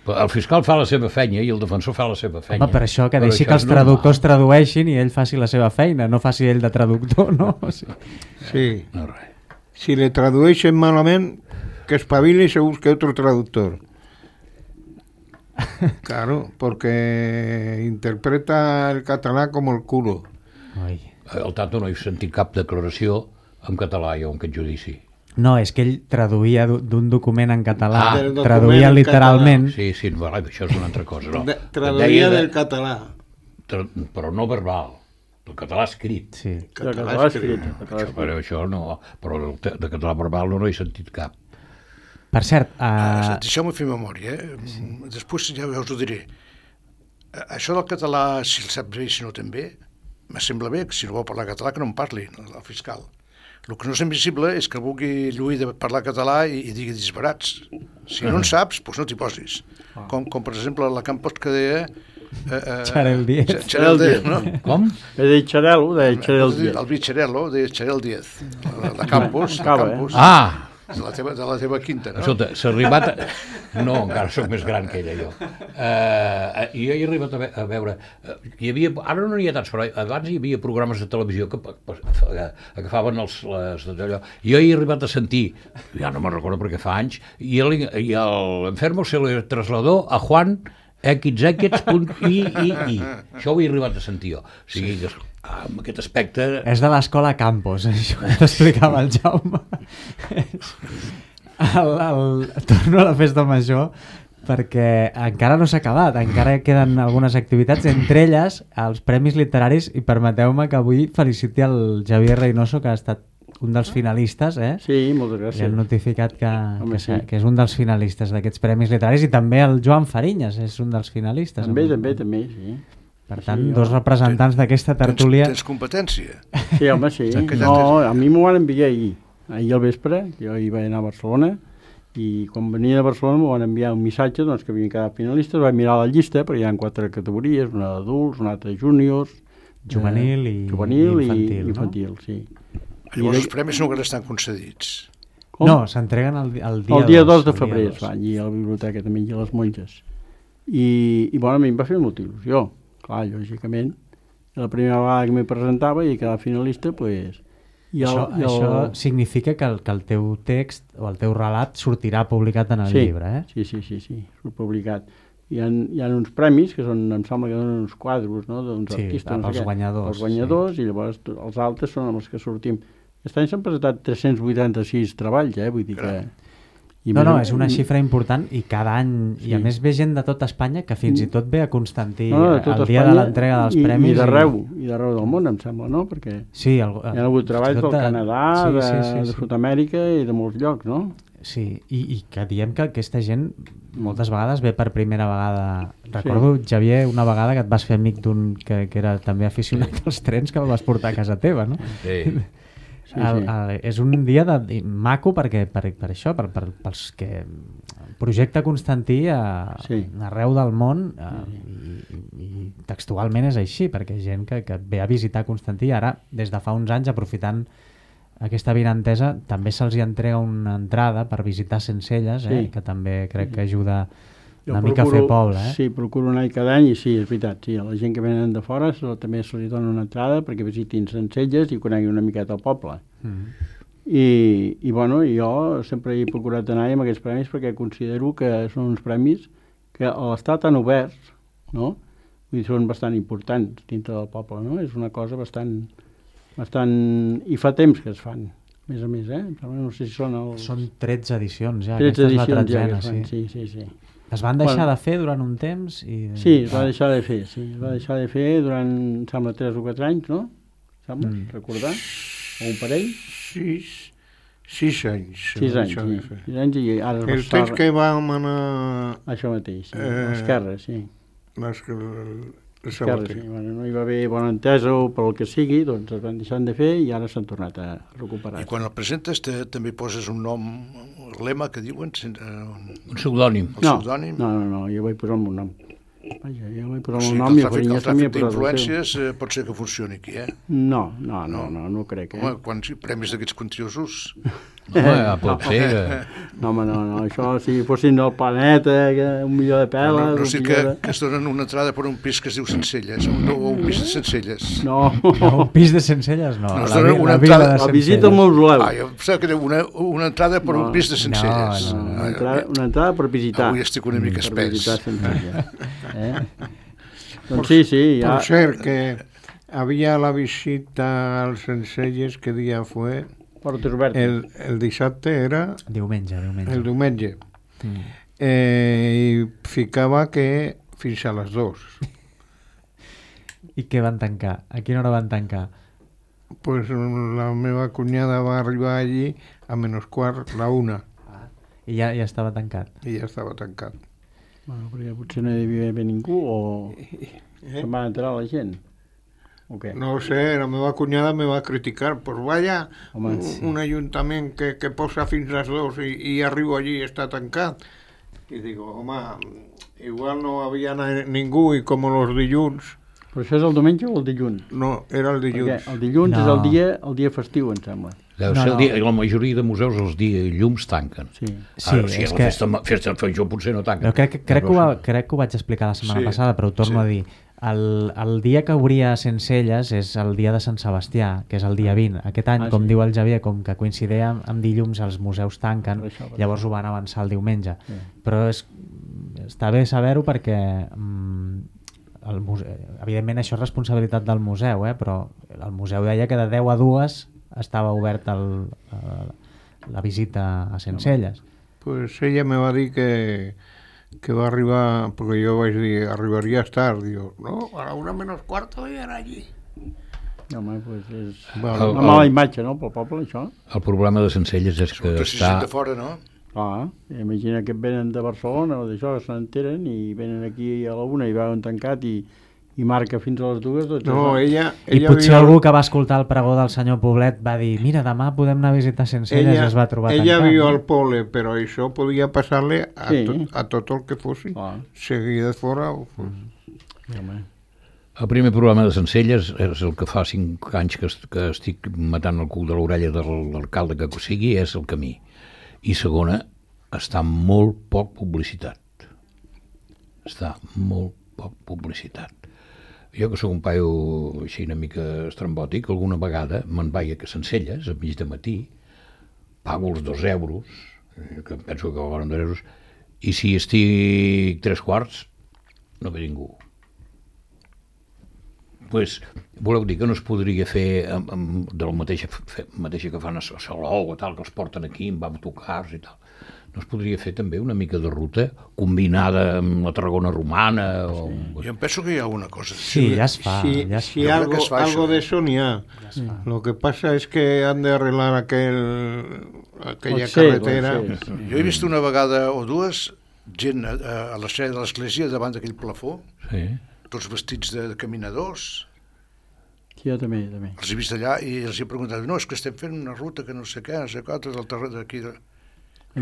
El fiscal fa la seva feina i el defensor fa la seva feina. Home, per això que Però deixi això que els és normal. traductors tradueixin i ell faci la seva feina, no faci ell de traductor, no? O sigui, Sí. No, res. Si le tradueixen malament, que espabile y se busque otro traductor. Claro, porque interpreta el català como el culo. oi. Al tanto no he sentit cap declaració en català jo en aquest judici. No, és que ell traduïa d'u- d'un document en català, Ah, del document traduïa en literalment. Sí, sí, no, això és una altra cosa. No. De, Deia traduïa de- del català. tra però no verbal, el català escrit. Sí. De català escrit. de català Això, escrit. però això no, però el te- de català verbal no n'he sentit cap. Per cert, Uh, uh, Deixeu-me fer memòria, eh? Sí. Després ja us ho diré. Eh, Això del català, si el sap bé i si no també, me sembla bé que si no vol parlar català que no en parli, el fiscal. El que no és admissible és que vulgui lluir de parlar català i, i digui disbarats. Si no en saps, doncs no t'hi posis. Com, com per exemple la Campos que deia... Eh, eh, Xarel Díez. Xa- Xarel Díez, no? Com? He dit Xarel·lo, deia Xarel Díez. El Vicharello, deia Xarel Díez. La, la Campos, la Acaba, eh? Campos. Ah! De la teva, de la teva quinta, no? Escolta, s'ha arribat... A... No, encara sóc més gran que ella, jo. Uh, jo he arribat a, ve a veure... Uh, hi havia... Ara no n'hi ha tants, però abans hi havia programes de televisió que uh, agafaven els... Les, allò. Jo he arribat a sentir, ja no me'n recordo perquè fa anys, i l'enfermo se le trasladó a Juan X X punt I I I. Això ho he arribat a sentir jo. O sigui, que, amb aquest aspecte... és de l'escola Campos, això que t'explicava el Jaume. el, el, torno a la festa major perquè encara no s'ha acabat, encara queden algunes activitats, entre elles els Premis Literaris, i permeteu-me que avui feliciti el Javier Reynoso, que ha estat un dels finalistes, eh? Sí, moltes Li han gràcies. notificat que, Home, que, sí. que és un dels finalistes d'aquests Premis Literaris, i també el Joan Farinyes és un dels finalistes. També, Amb- també, també, sí. Per tant, Sí, dos jo- representants d'aquesta tertúlia... Tens, tens competència. Sí, home, sí. Que ja No, a mi m'ho van enviar ahir, ahir al vespre, jo hi vaig anar a Barcelona, i quan venia de Barcelona m'ho van enviar un missatge doncs, que havien quedat finalistes, vaig mirar la llista, perquè hi ha quatre categories, una d'adults, una altra de júniors, Juvenil i- juvenil i i infantil, no? infantil, sí. Llavors els premis no que estan concedits. Com? No, s'entreguen el, di- el dia El dia dos dos, de el dia febrer dos. es va allí a la biblioteca també i a les monges. I, i bueno, a mi em va fer molta il·lusió. Clar, lògicament, la primera vegada que m'hi presentava i quedava finalista, pues, i el, Això, i el... això significa que el, que el teu text o el teu relat sortirà publicat en el sí, llibre, eh? Sí, sí, sí, sí, surt publicat. Hi ha, hi ha uns premis que són, em sembla que donen uns quadros, no?, d'uns Sí, artistes. pels no sé què, guanyadors, Els guanyadors, sí. I llavors to- els altres són els que sortim. Aquest any s'han presentat tres-cents vuitanta-sis treballs, eh? Vull dir que... I No, més no, o- és una xifra important, i cada any, Sí. i a més ve gent de tota Espanya que fins i tot ve a Constantí No, de el tot dia de Espanya l'entrega dels i, premis. I d'arreu, i d'arreu del món, em sembla, no? Perquè Sí, el, hi ha hagut treballs del de- Canadà, sí, de, sí, sí, de sí. Sud-amèrica i de molts llocs, no? Sí, i, i que diem que aquesta gent moltes vegades ve per primera vegada. Recordo, sí. Xavier, una vegada que et vas fer amic d'un que, que era també aficionat sí. als trens, que el vas portar a casa teva, no? Sí. Sí, El, sí. el, és un dia de, maco perquè per, per això, per, per, pels que projecte Constantí a, Sí. arreu del món, a, i, i, i textualment és així, perquè gent que, que ve a visitar Constantí, ara des de fa uns anys, aprofitant aquesta vinentesa, també se'ls hi entrega una entrada per visitar Sencelles, eh, Sí. que també crec que ajuda una mica fer poble, eh? Sí, procuro anar cada any i sí, és veritat, sí, a la gent que venen de fora se, també se li dona una entrada perquè visitin Sencelles i coneguin una miqueta el poble. Mm. I, i bueno, jo sempre he procurat anar amb aquests premis perquè considero que són uns premis que a l'estat han obert, no? Vull dir, són bastant importants dintre del poble, no? És una cosa bastant, bastant... I fa temps que es fan, a més a més, eh? No sé si són els... Són tretze edicions ja, tretze aquesta és la edicions ja tretzena, que es fan, sí. sí, sí, sí. Es van deixar Bueno. de fer durant un temps i... Sí, es va deixar de fer, sí. Es va deixar de fer durant, em sembla, tres o quatre anys, no? Sembla, Mm. recordar? O un parell? Sis, sis anys. Sis anys, això de sí. fer. Sis anys i ara es va El estar... temps que vam anar... Això mateix, sí. Eh, L'esquerra, sí. Les, el Esquerra, sabater. sí. Bueno, no hi va haver bona entesa o pel que sigui, doncs es van deixar de fer i ara s'han tornat a recuperar. I quan el presentes te, també poses un nom, un lema que diuen, sen- eh, un, Un pseudònim. el No, pseudònim. no, no, no, jo vaig posar el meu nom. Vaja, jo vaig posar O el sigui meu que nom el i el tràfic, el Farinyes també tràfic ha posat el seu. d'influències eh, pot ser que funcioni aquí, eh? No, no, no, no, no crec, eh? Home, quan sí, premis d'aquests quantiosos... No, ja pot ser que... No, home, no, no, això si fossin del planeta, que un milió de peles... No, no un sé milió que, de... que es donen una entrada per un pis que es diu Sencelles, o un, o un pis de Sencelles. No, No, un pis de Sencelles, no. No, es la, dona vi- una la vila entrada- de la visita Sencelles. al mausoleu. Ah, jo pensava que era una, una entrada per No, un pis de Sencelles. no, no, Una Ah, entrada, una entrada per visitar. Avui estic una mica Per espès. visitar Sencelles. Eh? Doncs sí, sí, ja... Por ser que había la visita al Sencelles, ¿qué día fue? Portes obertes. El, el dissabte era Diumenge, diumenge. el diumenge. Mm. Eh, I ficava que fins a les dues. I què van tancar? A quina hora van tancar? Pues la meva cunyada va arribar allí a menys quart, la una, I ja, ja estava tancat. i ja estava tancat. Bueno, perquè potser no hi havia haver ningú o se'n va entrar la gent. O què? No ho sé, la meva cunyada me va criticar, pues vaya, Home, un, sí. un ajuntament que, que posa fins les dues i, i arribo allí i està tancat. I digo, home, igual no havia na- ningú i com els dilluns, Però això és el diumenge o el dilluns? no, era el Perquè dilluns. el dilluns No. és el dia, el dia festiu, em sembla. Deu No, ser no. el dia, la majoria de museus els dies llums tanquen. Sí. Sí, Ara, si és la que... festa, festa de Feijó potser no tanquen. Però crec, que- crec, que ho, va- crec que ho vaig explicar la setmana Sí, passada, però ho torno sí. a dir. El, el dia que obria Sencelles és el dia de Sant Sebastià, que és el dia vint. Aquest any, Ah, com sí. diu el Javier, com que coincideix amb, amb dilluns, els museus tanquen, Per això, per llavors ho van avançar el diumenge. Sí. Però és, està bé saber-ho perquè mm, el muse... evidentment això és responsabilitat del museu, eh? Però el museu deia que de deu a dues estava obert el, el, la visita a Sencelles. Pues ella me va dir que, que va arribar, perquè jo vaig dir, arribaries tard. Diu, no, a la una menys quarto ja era allí. Home, doncs és Vale. una mala imatge, no?, pel poble, això. El problema de Sencelles és que Sobretot si està... gent de fora, no? Clar, imagina que venen de Barcelona o d'això, se n'enteren i venen aquí a la una i veuen tancat i, i marca fins a les dues. Doncs No, això. ella... I ella potser viu- algú que va escoltar el pregó del senyor Poblet va dir, mira, demà podem anar a visitar Sencelles, ella, i es va trobar ella tancat. viu no? al poble, però això podia passar-li a, Sí. tot, a tot el que fossi. Clar. Seguir de fora o fos. Sí, home. El primer programa de Sencelles és el que fa cinc anys que, est que estic matant el cul de l'orella de l'alcalde que sigui, és el camí. I segona, està molt poc publicitat. Està molt poc publicitat. Jo, que sóc un paio així una mica estrambòtic, alguna vegada me'n vaig a Sencelles, a mig de matí, pago els dos euros, eh, que em penso que colen dos euros, i si estic tres quarts, no ve ningú. Pues, voleu dir que no es podria fer amb, amb, de la mateixa, fe, mateixa que fan a Salou o tal, que els porten aquí amb autocars i tal. No es podria fer també una mica de ruta combinada amb la Tarragona romana? O... Jo em penso que hi ha una cosa. Sí, ja es fa. Si, ja es si Jo crec algo, que es fa algo això, de eh? eso n'hi ha. Lo que pasa es que han de arreglar aquel, aquella Pot ser, carretera. pot ser, sí. Jo he vist una vegada o dues gent a, a l'estrella de l'església davant d'aquell plafó, Sí. tots vestits de, de caminadors. Sí, jo també, també. Els he vist allà i els he preguntat, no, és que estem fent una ruta que no sé què, no sé què, del terreny d'aquí. De...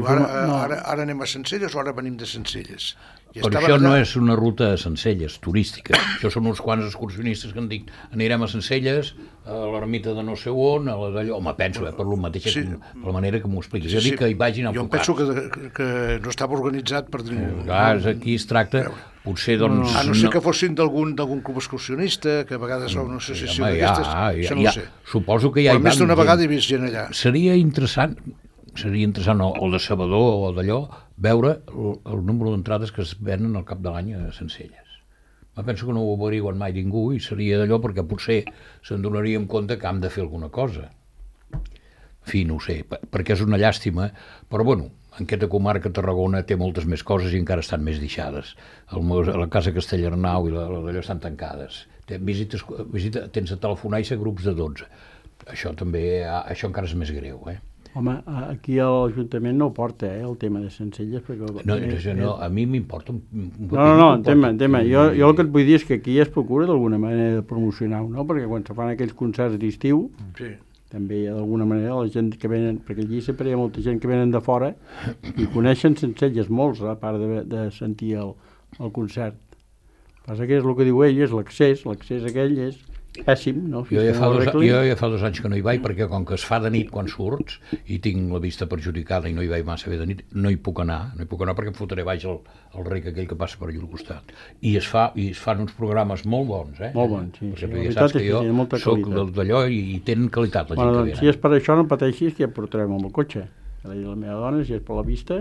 Ara, ara, ara anem a Sencelles o ara venim de Sencelles? I Però això no és una ruta a Sencelles, turística. Això són uns quants excursionistes que em dic, anirem a Sencelles, a l'ermita de no sé on, a la d'allò. Home, penso, eh, per lo mateix, sí. per la manera que m'ho expliquis. Sí, Jo dic sí. que hi vagin Jo enfocats. penso que, que no estava organitzat per dir... Clar, aquí es tracta, potser, doncs... A no ser que fossin d'algun d'algun club excursionista, que a vegades hi ha una associació Home, d'aquestes, ja, ja, això no ja, ho sé. suposo que ja Però hi més van d'una gent. vegada he vist gent allà. Seria interessant, seria interessant o, o de Sabador o d'allò, veure el, el número d'entrades que es venen al cap de l'any a Sencelles. Me penso que no ho averiguen mai ningú i seria d'allò perquè potser se'n donaríem compte que hem de fer alguna cosa. En fi, no ho sé, perquè és una llàstima, però bueno, en aquesta comarca Tarragona té moltes més coses i encara estan més deixades. El, la Casa Castellarnau i la, la d'allò estan tancades. Visites, visita, tens a telefonar i ser grups de dotze. Això també, això encara és més greu, eh? Home, aquí a l'Ajuntament no ho porta, eh, el tema de Sencelles, perquè... No, no, no a mi m'importa un, un No, no, no, entén-me, entén-me. Jo, jo el que et vull dir és que aquí es procura d'alguna manera de promocionar-ho, no? Perquè quan se fan aquells concerts d'estiu, Sí. també d'alguna manera la gent que venen, perquè allí sempre hi ha molta gent que venen de fora i coneixen Sencelles molts, a part de, de sentir el, el concert. El que passa que és el que diu ell, és l'accés, l'accés aquell és pèssim, no? Jo ja, fa dos, jo ja fa dos anys que no hi vaig, perquè com que es fa de nit quan surts i tinc la vista perjudicada i no hi vaig massa bé de nit, no hi puc anar, no hi puc anar perquè em fotré baix el, el rec aquell que passa per allà al costat. I es, fa, i es fan uns programes molt bons, eh? Molt bons, sí. Perquè, sí, perquè la saps veritat que és jo que molta soc qualitat. d'allò i, i tenen qualitat la gent Bueno, que doncs, ve. si és per això no pateixis, que ja portarem amb el cotxe. La, la meva dona, si és per la vista,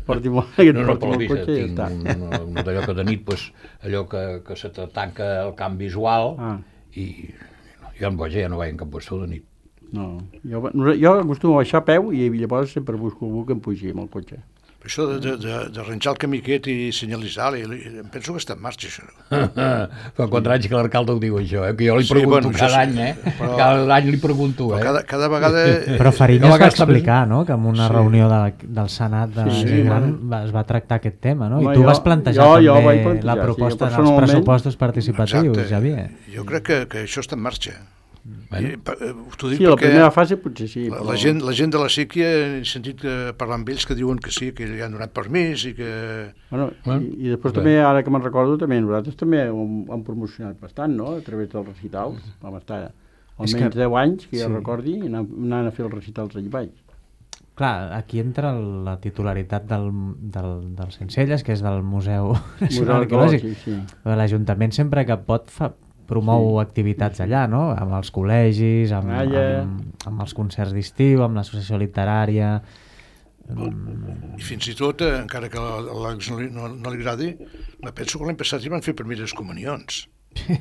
porti molt, que et No, no, porti per la amb el vista, cotxe i ja tinc està. un, un, un d'allò que de nit, pues, allò que, que se te tanca el camp visual Ah. i jo en boja ja no vaig en cap puesto de nit. No, jo, jo acostumo a baixar a peu i llavors sempre busco algú que em pugi amb el cotxe. Això d'arranjar el camí aquest i senyalitzar, i, i, em penso que està en marxa, això. Fa quatre anys que l'alcalde ho diu, això, eh? Que jo li Sí, pregunto bueno, cada això sí, any, eh? però- Cada any li pregunto, Però eh? cada, cada vegada... Però Jo Fariñas a va vegades també- explicar, no?, que en una Sí. reunió de, del Senat de Sí, sí, sí, Gran bueno. va, es va tractar aquest tema, no? Home, I tu jo- vas plantejar jo- jo també vaig plantejar, la sí, proposta dels personalment- pressupostos participatius, Exacte. Xavier. Jo crec que, que això està en marxa. Bueno. I, pa- eh, T'ho dic Sí, la perquè primera fase potser sí, la, però... la, gent, la gent de la síquia he sentit que, parlar amb ells que diuen que sí, que li han donat permís i que... Bueno, Bueno, i, i després bé. també, ara que me'n recordo, també nosaltres també ho hem, ho hem promocionat bastant, no?, a través dels recitals. Vam estar És almenys que- deu anys, que jo sí. recordi, i anant, anant a fer els recitals allà baix. Clar, aquí entra la titularitat del, del, del Sencelles, que és del Museu Nacional Arqueològic. Sí, sí. L'Ajuntament sempre que pot fa, promou sí. activitats allà, no?, amb els col·legis, amb, Canalla. amb, amb els concerts d'estiu, amb l'associació literària... I fins i tot, eh, encara que a l'Àlex no, li- no, no li agradi, me penso que l'any passat hi van fer primeres comunions.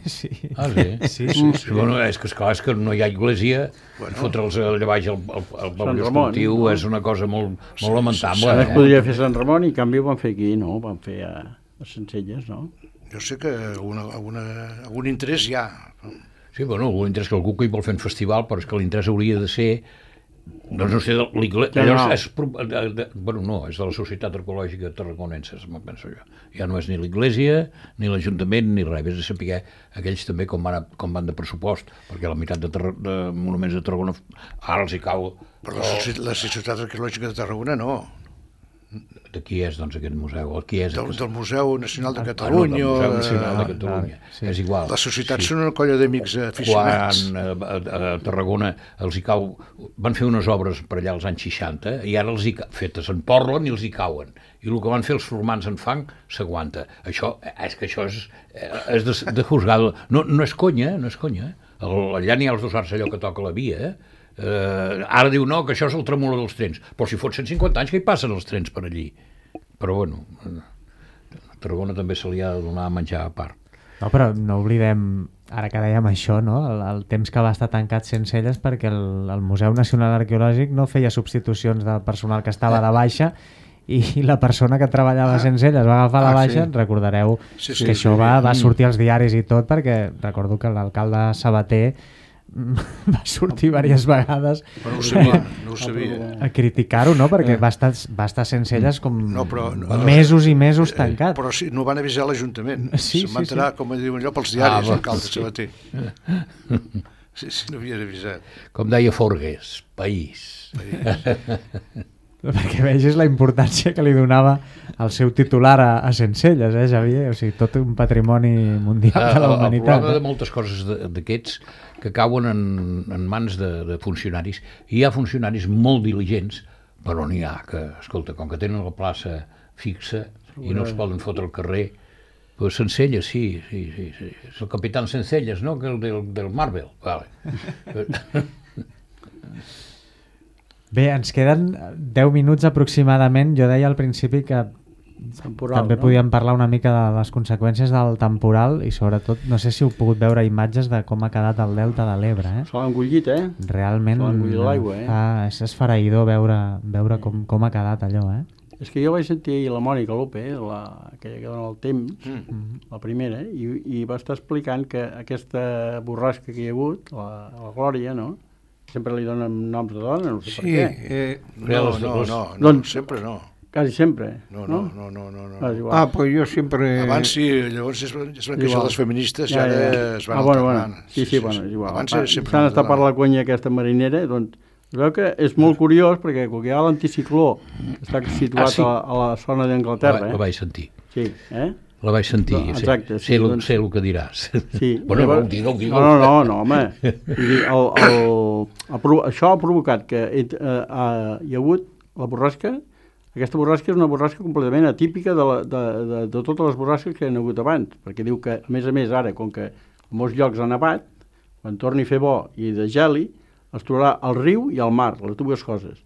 Sí. Ah, sí? Sí, sí, sí. Bueno, és que, esclar, és que no hi ha església, Bueno. bueno. fotre'ls allà baix al, al, al Sant poble Ramon, esportiu no? és una cosa molt, Sí, molt lamentable. Ara es eh? podria fer Sant Ramon i en canvi ho van fer aquí, no? Ho van fer a, a Sencelles, no? Jo sé que alguna, alguna, algun interès hi ha. Sí, bueno, l'interès que algú que hi vol fer un festival, però és que l'interès hauria de ser, doncs no sé, de l'Iglésia, Ja no. és, de, de, bueno, no, és de la Societat Arqueològica Tarragonense, me penso jo. Ja no és ni l'Iglésia, ni l'Ajuntament, ni res, és de saber aquells també com van, com van de pressupost, perquè la meitat de, Tarra, de monuments de Tarragona ara els hi cau... Però la, Soci- la Societat Arqueològica de Tarragona no. De qui és, doncs, aquest museu? El qui és? Del, del Museu Nacional de Ah, no, Catalunya. del Museu o, Nacional de eh, Catalunya. sí. És igual. La societat són una colla d'amics aficionats. Quan a, a, a Tarragona els hi cau... Van fer unes obres per allà als anys seixanta i ara els hi ca... fetes en Portland i els hi cauen. I el que van fer els formants en fang s'aguanta. Això, és que això és, és de, de juzgado. No, no és conya, no és conya. El, allà n'hi ha els dos arts allò que toca la via, eh? Uh, ara diu no, que això és el tremolor dels trens, però si fot cent cinquanta anys que hi passen els trens per allí. Però bueno, a Tarragona també se li ha de donar a menjar a part. No, però no oblidem, ara que dèiem això, no?, el, el temps que va estar tancat Sencelles perquè el, el Museu Nacional Arqueològic no feia substitucions del personal que estava de baixa i la persona que treballava a Sencelles va agafar la Ah, baixa, sí. recordareu Sí, sí, que sí, això sí. va, va sortir als diaris i tot, perquè recordo que l'alcalde Sabater va sortir diverses vegades Però no ho sabia, no ho sabia. a criticar-ho, no?, perquè va estar, va estar Sencelles com No, però- no, mesos i mesos tancat. Però sí, no van avisar l'Ajuntament. Sí, Se'n va sí, enterar, sí. com diuen allò, pels diaris, Ah, l'alcalde sí. Sabater. Sí, sí, no havien avisat. Com deia Forgues, país. perquè vegis la importància que li donava el seu titular a, a Sencelles, eh, Xavier? O sigui, tot un patrimoni mundial de la humanitat. El problema de moltes coses d'aquests que cauen en, en mans de, de funcionaris. Hi ha funcionaris molt diligents, però n'hi ha que, escolta, com que tenen la plaça fixa i no es poden fotre al carrer, pues Sencelles, sí, sí, sí, sí. És el capitán Sencelles, no? Que el del, del Marvel. Vale. Bé, ens queden deu minuts aproximadament. Jo deia al principi que temporal, també no? podíem parlar una mica de les conseqüències del temporal i sobretot, no sé si heu pogut veure imatges de com ha quedat el delta de l'Ebre. Eh? Se l'ha engullit, eh? Realment Se l'ha engullit l'aigua, eh? fa, és esfereïdor veure, veure com, com ha quedat allò, eh? És que jo vaig sentir ahir la Mònica López, la, aquella que dona el temps, Mm. la primera, i, i va estar explicant que aquesta borrasca que hi ha hagut, la, la Glòria, no? Sempre li donen noms de dona, no sé Sí, per què. eh, No, no, no, no, Doncs- sempre no. Quasi sempre, No, no, no, no, no. Ah, és no. igual. ah, pues jo sempre... Abans sí, llavors es, van- es van queixar Igual. les feministes i Ja, ara ja. es van ah, bueno, alternant. bueno. Sí, sí, bueno, és igual. Abans Va, sempre s'han van estat per la alternant. conya aquesta marinera, doncs es veu que és molt curiós perquè quan hi ha l'anticicló que està situat Ah, sí. a, la, a la zona d'Anglaterra, La, la eh? vaig sentir. Sí, eh? La vaig sentir. No, exacte, sé, sí, sé, el, doncs- sé el que diràs. Sí. Bueno, Llavors- no, digue'l, digue'l. No, no, no, no, home. Vull dir, el, el, el, provo- això ha provocat que eh, eh, hi ha hagut la borrasca. Aquesta borrasca és una borrasca completament atípica de, la, de, de, de totes les borrasques que hi ha hagut abans, perquè diu que, a més a més, ara, com que en molts llocs ha nevat, quan torni a fer bo i de geli, es trobarà el riu i el mar, les dues coses.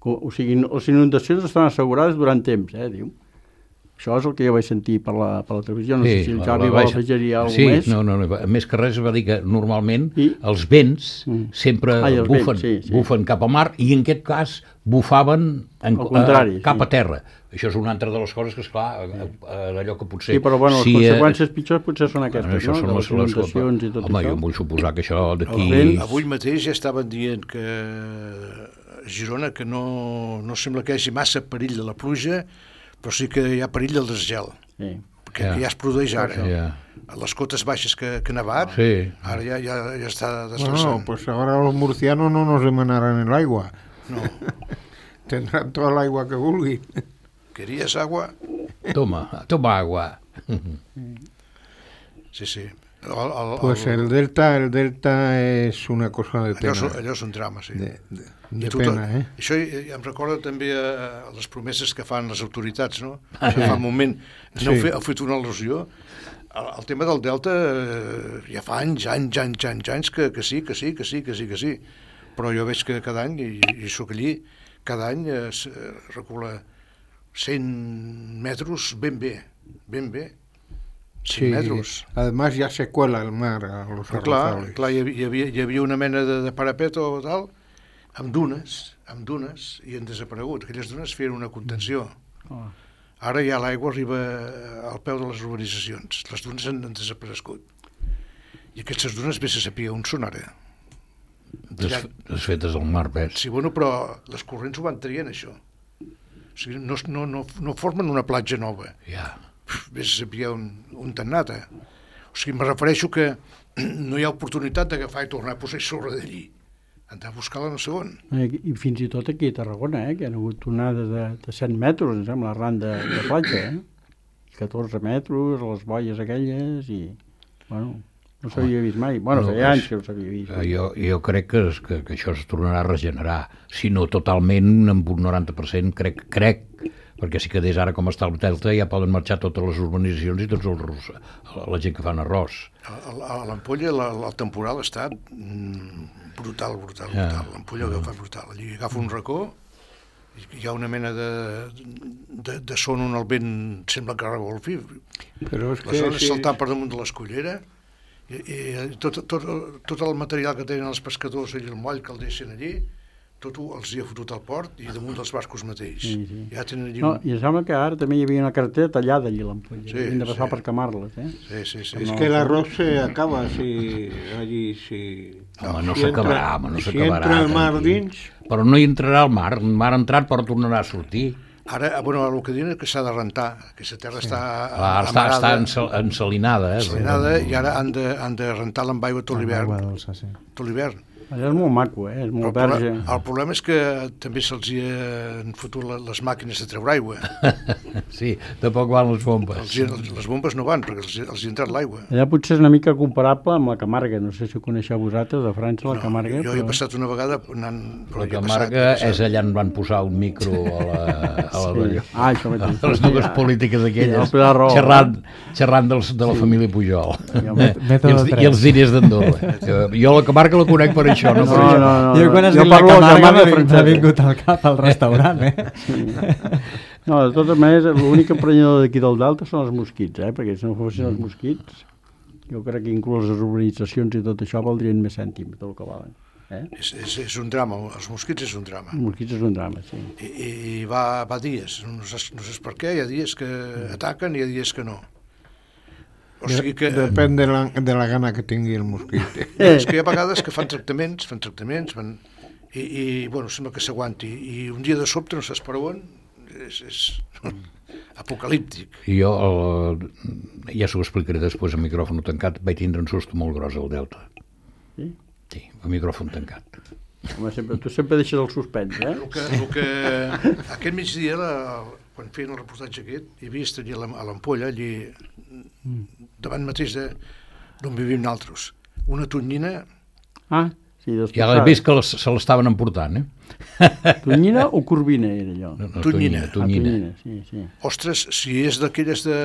O, o sigui, les inundacions estan assegurades durant temps, eh, diu. Això és el que jo vaig sentir per la, per la televisió, no sí, sé si el la- Xavi la vol vaig- afegir-hi alguna sí, més. no, no, no, més que res va dir que normalment I- els vents Mm. sempre Ai, els bufen, vents, sí, sí. bufen cap al mar i en aquest cas bufaven en, Al contrari, eh, cap sí. a terra. Això és una altra de les coses que, esclar, eh, eh, allò que potser... Sí, però bueno, les si, eh, conseqüències pitjors potser són aquestes, això no? són De les, les inundacions i tot home, això. jo em vull suposar que això d'aquí... El vent- Avui mateix ja estaven dient que a Girona que no, no sembla que hi hagi massa perill de la pluja, però sí que hi ha perill del desgel, Sí. que Ja. ja es produeix ara. Ja. A les cotes baixes que, que ha nevat, Sí. ara ja, ja, ja està Bueno, desplaçant. pues ahora los murcianos no nos demanarán el agua. No. Tendrán toda el agua que vulguin. ¿Querías agua? Toma, toma agua. Sí, sí. El, el, Pues el delta, el delta és una cosa de allò, pena. és- allò és un drama, sí. De, de, I de tot- pena, eh? Això eh, em recorda també a, a les promeses que fan les autoritats, no? Que fa un moment no Sí. sí. heu fet una al·lusió. El, el tema del Delta eh, ja fa anys, anys, anys, anys, anys que, que sí, que sí, que sí, que sí, que sí. Però jo veig que cada any, i, i sóc allí, cada any es eh, recula cent metres ben bé, ben bé. cent metres. Además ya se cuela el mar a los Però clar, arrozables. clar hi, havia, hi, havia, hi havia una mena de, de parapet o tal, amb dunes, amb dunes, i han desaparegut. Aquelles dunes feien una contenció. Oh. Ara ja l'aigua arriba al peu de les urbanitzacions. Les dunes han, han desaparegut. I aquestes dunes, bé se sapia on són ara. Des, desfetes del mar, ves. Sí, bueno, però les corrents ho van traient, això. O sigui, no, no, no, no formen una platja nova. Ja. Bé se sapia on, on t'han anat, eh? O sigui, me refereixo que no hi ha oportunitat d'agafar i tornar a posar sobre d'allí. Han de buscar-la no sé on. Eh, I fins i tot aquí a Tarragona, eh, que hi ha hagut onades de, de cent metres, em sembla, arran de, de platja, eh? catorze metres, les boies aquelles, i, bueno, no s'havia vist mai. Bueno, No, feia anys és- que no s'havia vist. Eh, Jo, jo crec que, es- que, que això es tornarà a regenerar, si no totalment, amb un noranta per cent, crec, crec, perquè si quedés ara com està el Delta ja poden marxar totes les urbanitzacions i tots els, la gent que fan arròs. A, a, a l'Ampolla la, la, el temporal està mm, brutal, brutal, Ja. brutal. L'Ampolla agafa brutal. Allí agafa un racó, i hi ha una mena de, de, de son on el vent sembla que revolfi. Però és Les que zones sí, saltant per damunt de l'escollera, i, i tot, tot, tot el material que tenen els pescadors i el moll que el deixen allí, tot ho els hi ha fotut al port i damunt dels bascos mateix. Sí, sí. Ja tenen allí... No, un- i em sembla que ara també hi havia una carretera tallada allí a l'Ampolla. Sí, Sí, Havien de passar sí. per camar-les, eh? Sí, sí, sí. es No. que el arroz se acaba si allí si, Home, no si s'acabarà, home, no si s'acabarà. entra el mar tranquil. dins, Però no hi entrarà al mar, el mar ha entrat però tornarà a sortir. Ara, bueno, el que diuen és que s'ha de rentar, que la terra sí. està Clar, està, està ensal, ensalinada. Eh? ensalinada, i ara han de, han de rentar-la amb aigua tot Amb l'hivern. aigua dolça, sí. Tot l'hivern. Allà és molt maco, eh? És molt Però el, verge. problema, el problema és que també se'ls hi han fotut la- les màquines de treure aigua. Sí, tampoc van les bombes. Els, hi- les bombes no van, perquè els, hi- els hi ha entrat l'aigua. Allà potser és una mica comparable amb la Camarga. No sé si ho coneixeu vosaltres, de França, la Camarga. Jo he passat una vegada anant... però La hi he Camarga passat, he és allà on van posar un micro a la, a la Sí. Ah, això mateix. a les dues polítiques Sí, aquelles, el Pilar Rahola. xerrant, xerrant dels, de la família Pujol. el Eh, mètode I, els, tres. I els diners d'Andorra. Jo, jo la Camarga la conec per això, no, per No, això. no, no. Jo quan has jo dit la parlo de Camarga Camarga m'ha francesa. vingut al cap al restaurant, eh? No, de totes maneres, l'únic emprenyador d'aquí del Delta són els mosquits, eh? Perquè si no fossin els mosquits, jo crec que inclús les urbanitzacions i tot això valdrien més cèntims del que valen. Eh? És, és, és un drama, els mosquits és un drama. Els mosquits és un drama, sí. I, i, i va, va dies, no saps, no saps per què, hi ha dies que ataquen i hi ha dies que no. O sigui que... Depèn de la, de la gana que tingui el mosquit. No, és que hi ha vegades que fan tractaments, fan tractaments, fan, i, i bueno, sembla que s'aguanti. I un dia de sobte, no saps per on, és, és apocalíptic. I jo, el, ja s'ho explicaré després a micròfon tancat, vaig tindre un susto molt gros al Delta. Sí? Sí, a micròfon tancat. Home, sempre, tu sempre deixes el suspens, eh? El que, el que, aquest migdia, la, quan feien el reportatge aquest, he vist allà a l'Ampolla, allí, davant mateix de, d'on vivim nosaltres, una tonyina, Ah, sí, Ja l'he vist que les, se l'estaven emportant, eh? Tonyina o Corbina era allò? No, no, Tonyina. Ah, Tonyina. Tonyina, sí, sí. ostres, si és d'aquelles de,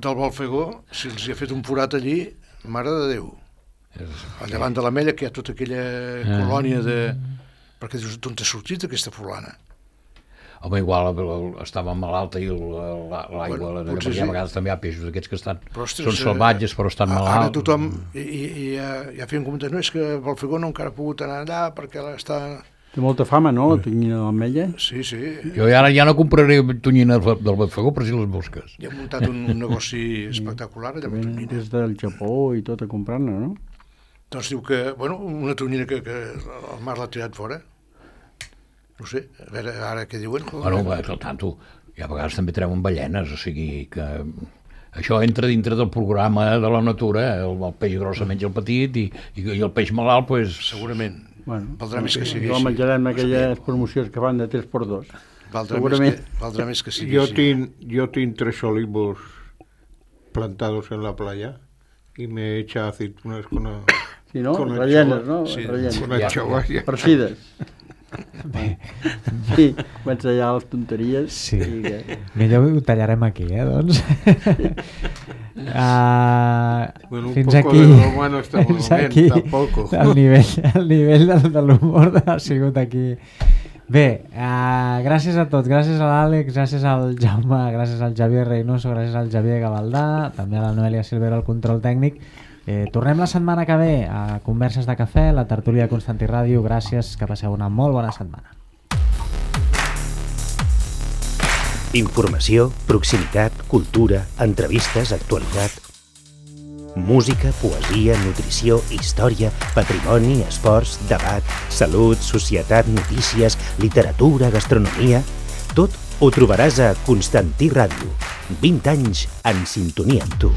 del Balfegó, si els hi ha fet un forat allí, mare de Déu. Al davant de l'Ametlla, que hi ha tota aquella colònia de... Perquè dius, d'on t'ha sortit aquesta fulana? Home, igual el- el- estava malalta i el- la- l'aigua, Bueno, bueno, potser perquè a sí. vegades també hi ha peixos aquests que estan, Però, ostres, són salvatges però estan a- malalts. Ara tothom, i, i, i ja, ja feien comentaris, no, és que Balfegó no encara ha pogut anar allà perquè està... Té molta fama, no, la tonyina de l'Ametlla? Sí, sí, Jo ara ja no compraré tonyina del Balfegó per si les busques. ja ha muntat un, un negoci espectacular allà amb Venen tonyina. des del Japó i tot a comprar-ne, no? Doncs diu que, bueno, una tonyina que, que el mar l'ha tirat fora. No sé, a veure ara què diuen. Bueno, bé, al tanto, i a vegades també treuen ballenes, o sigui que això entra dintre del programa de la natura, el, el peix gros se menja el petit i, i, i el peix malalt, pues, Segurament. Bueno, Valdrà més que sigui jo així. menjarem aquelles promocions que fan de tres per dos. Valdrà més, Segurament. que, valdrà més que sigui Yo, així. tin, yo tengo tres olivos plantados en la playa y me echa aceitunas con, a- Sí, no? Con Rellenes, anxova. no? Sí, Rellenes. con anchoas. ya. Farcides. Sí, vaig allà les tonteries. Sí. I que... Millor ho tallarem aquí, eh, doncs. uh, Bueno, un fins poco aquí, de broma no está muy fins bien, aquí tampoco. el nivell, el nivell de, de l'humor ha sigut aquí. Bé, uh, gràcies a tots, gràcies a l'Àlex, gràcies al Jaume, gràcies al Javier Reynoso, gràcies al Javier Gavaldà, també a la Noelia Silvera al control tècnic. Eh, tornem la setmana que ve a Converses de Cafè, la tertúlia de Constantí Ràdio. Gràcies, que passeu una molt bona setmana. Informació, proximitat, cultura, entrevistes, actualitat. Música, poesia, nutrició, història, patrimoni, esports, debat, salut, societat, notícies, literatura, gastronomia... Tot ho trobaràs a Constantí Ràdio. vint anys en sintonia amb tu.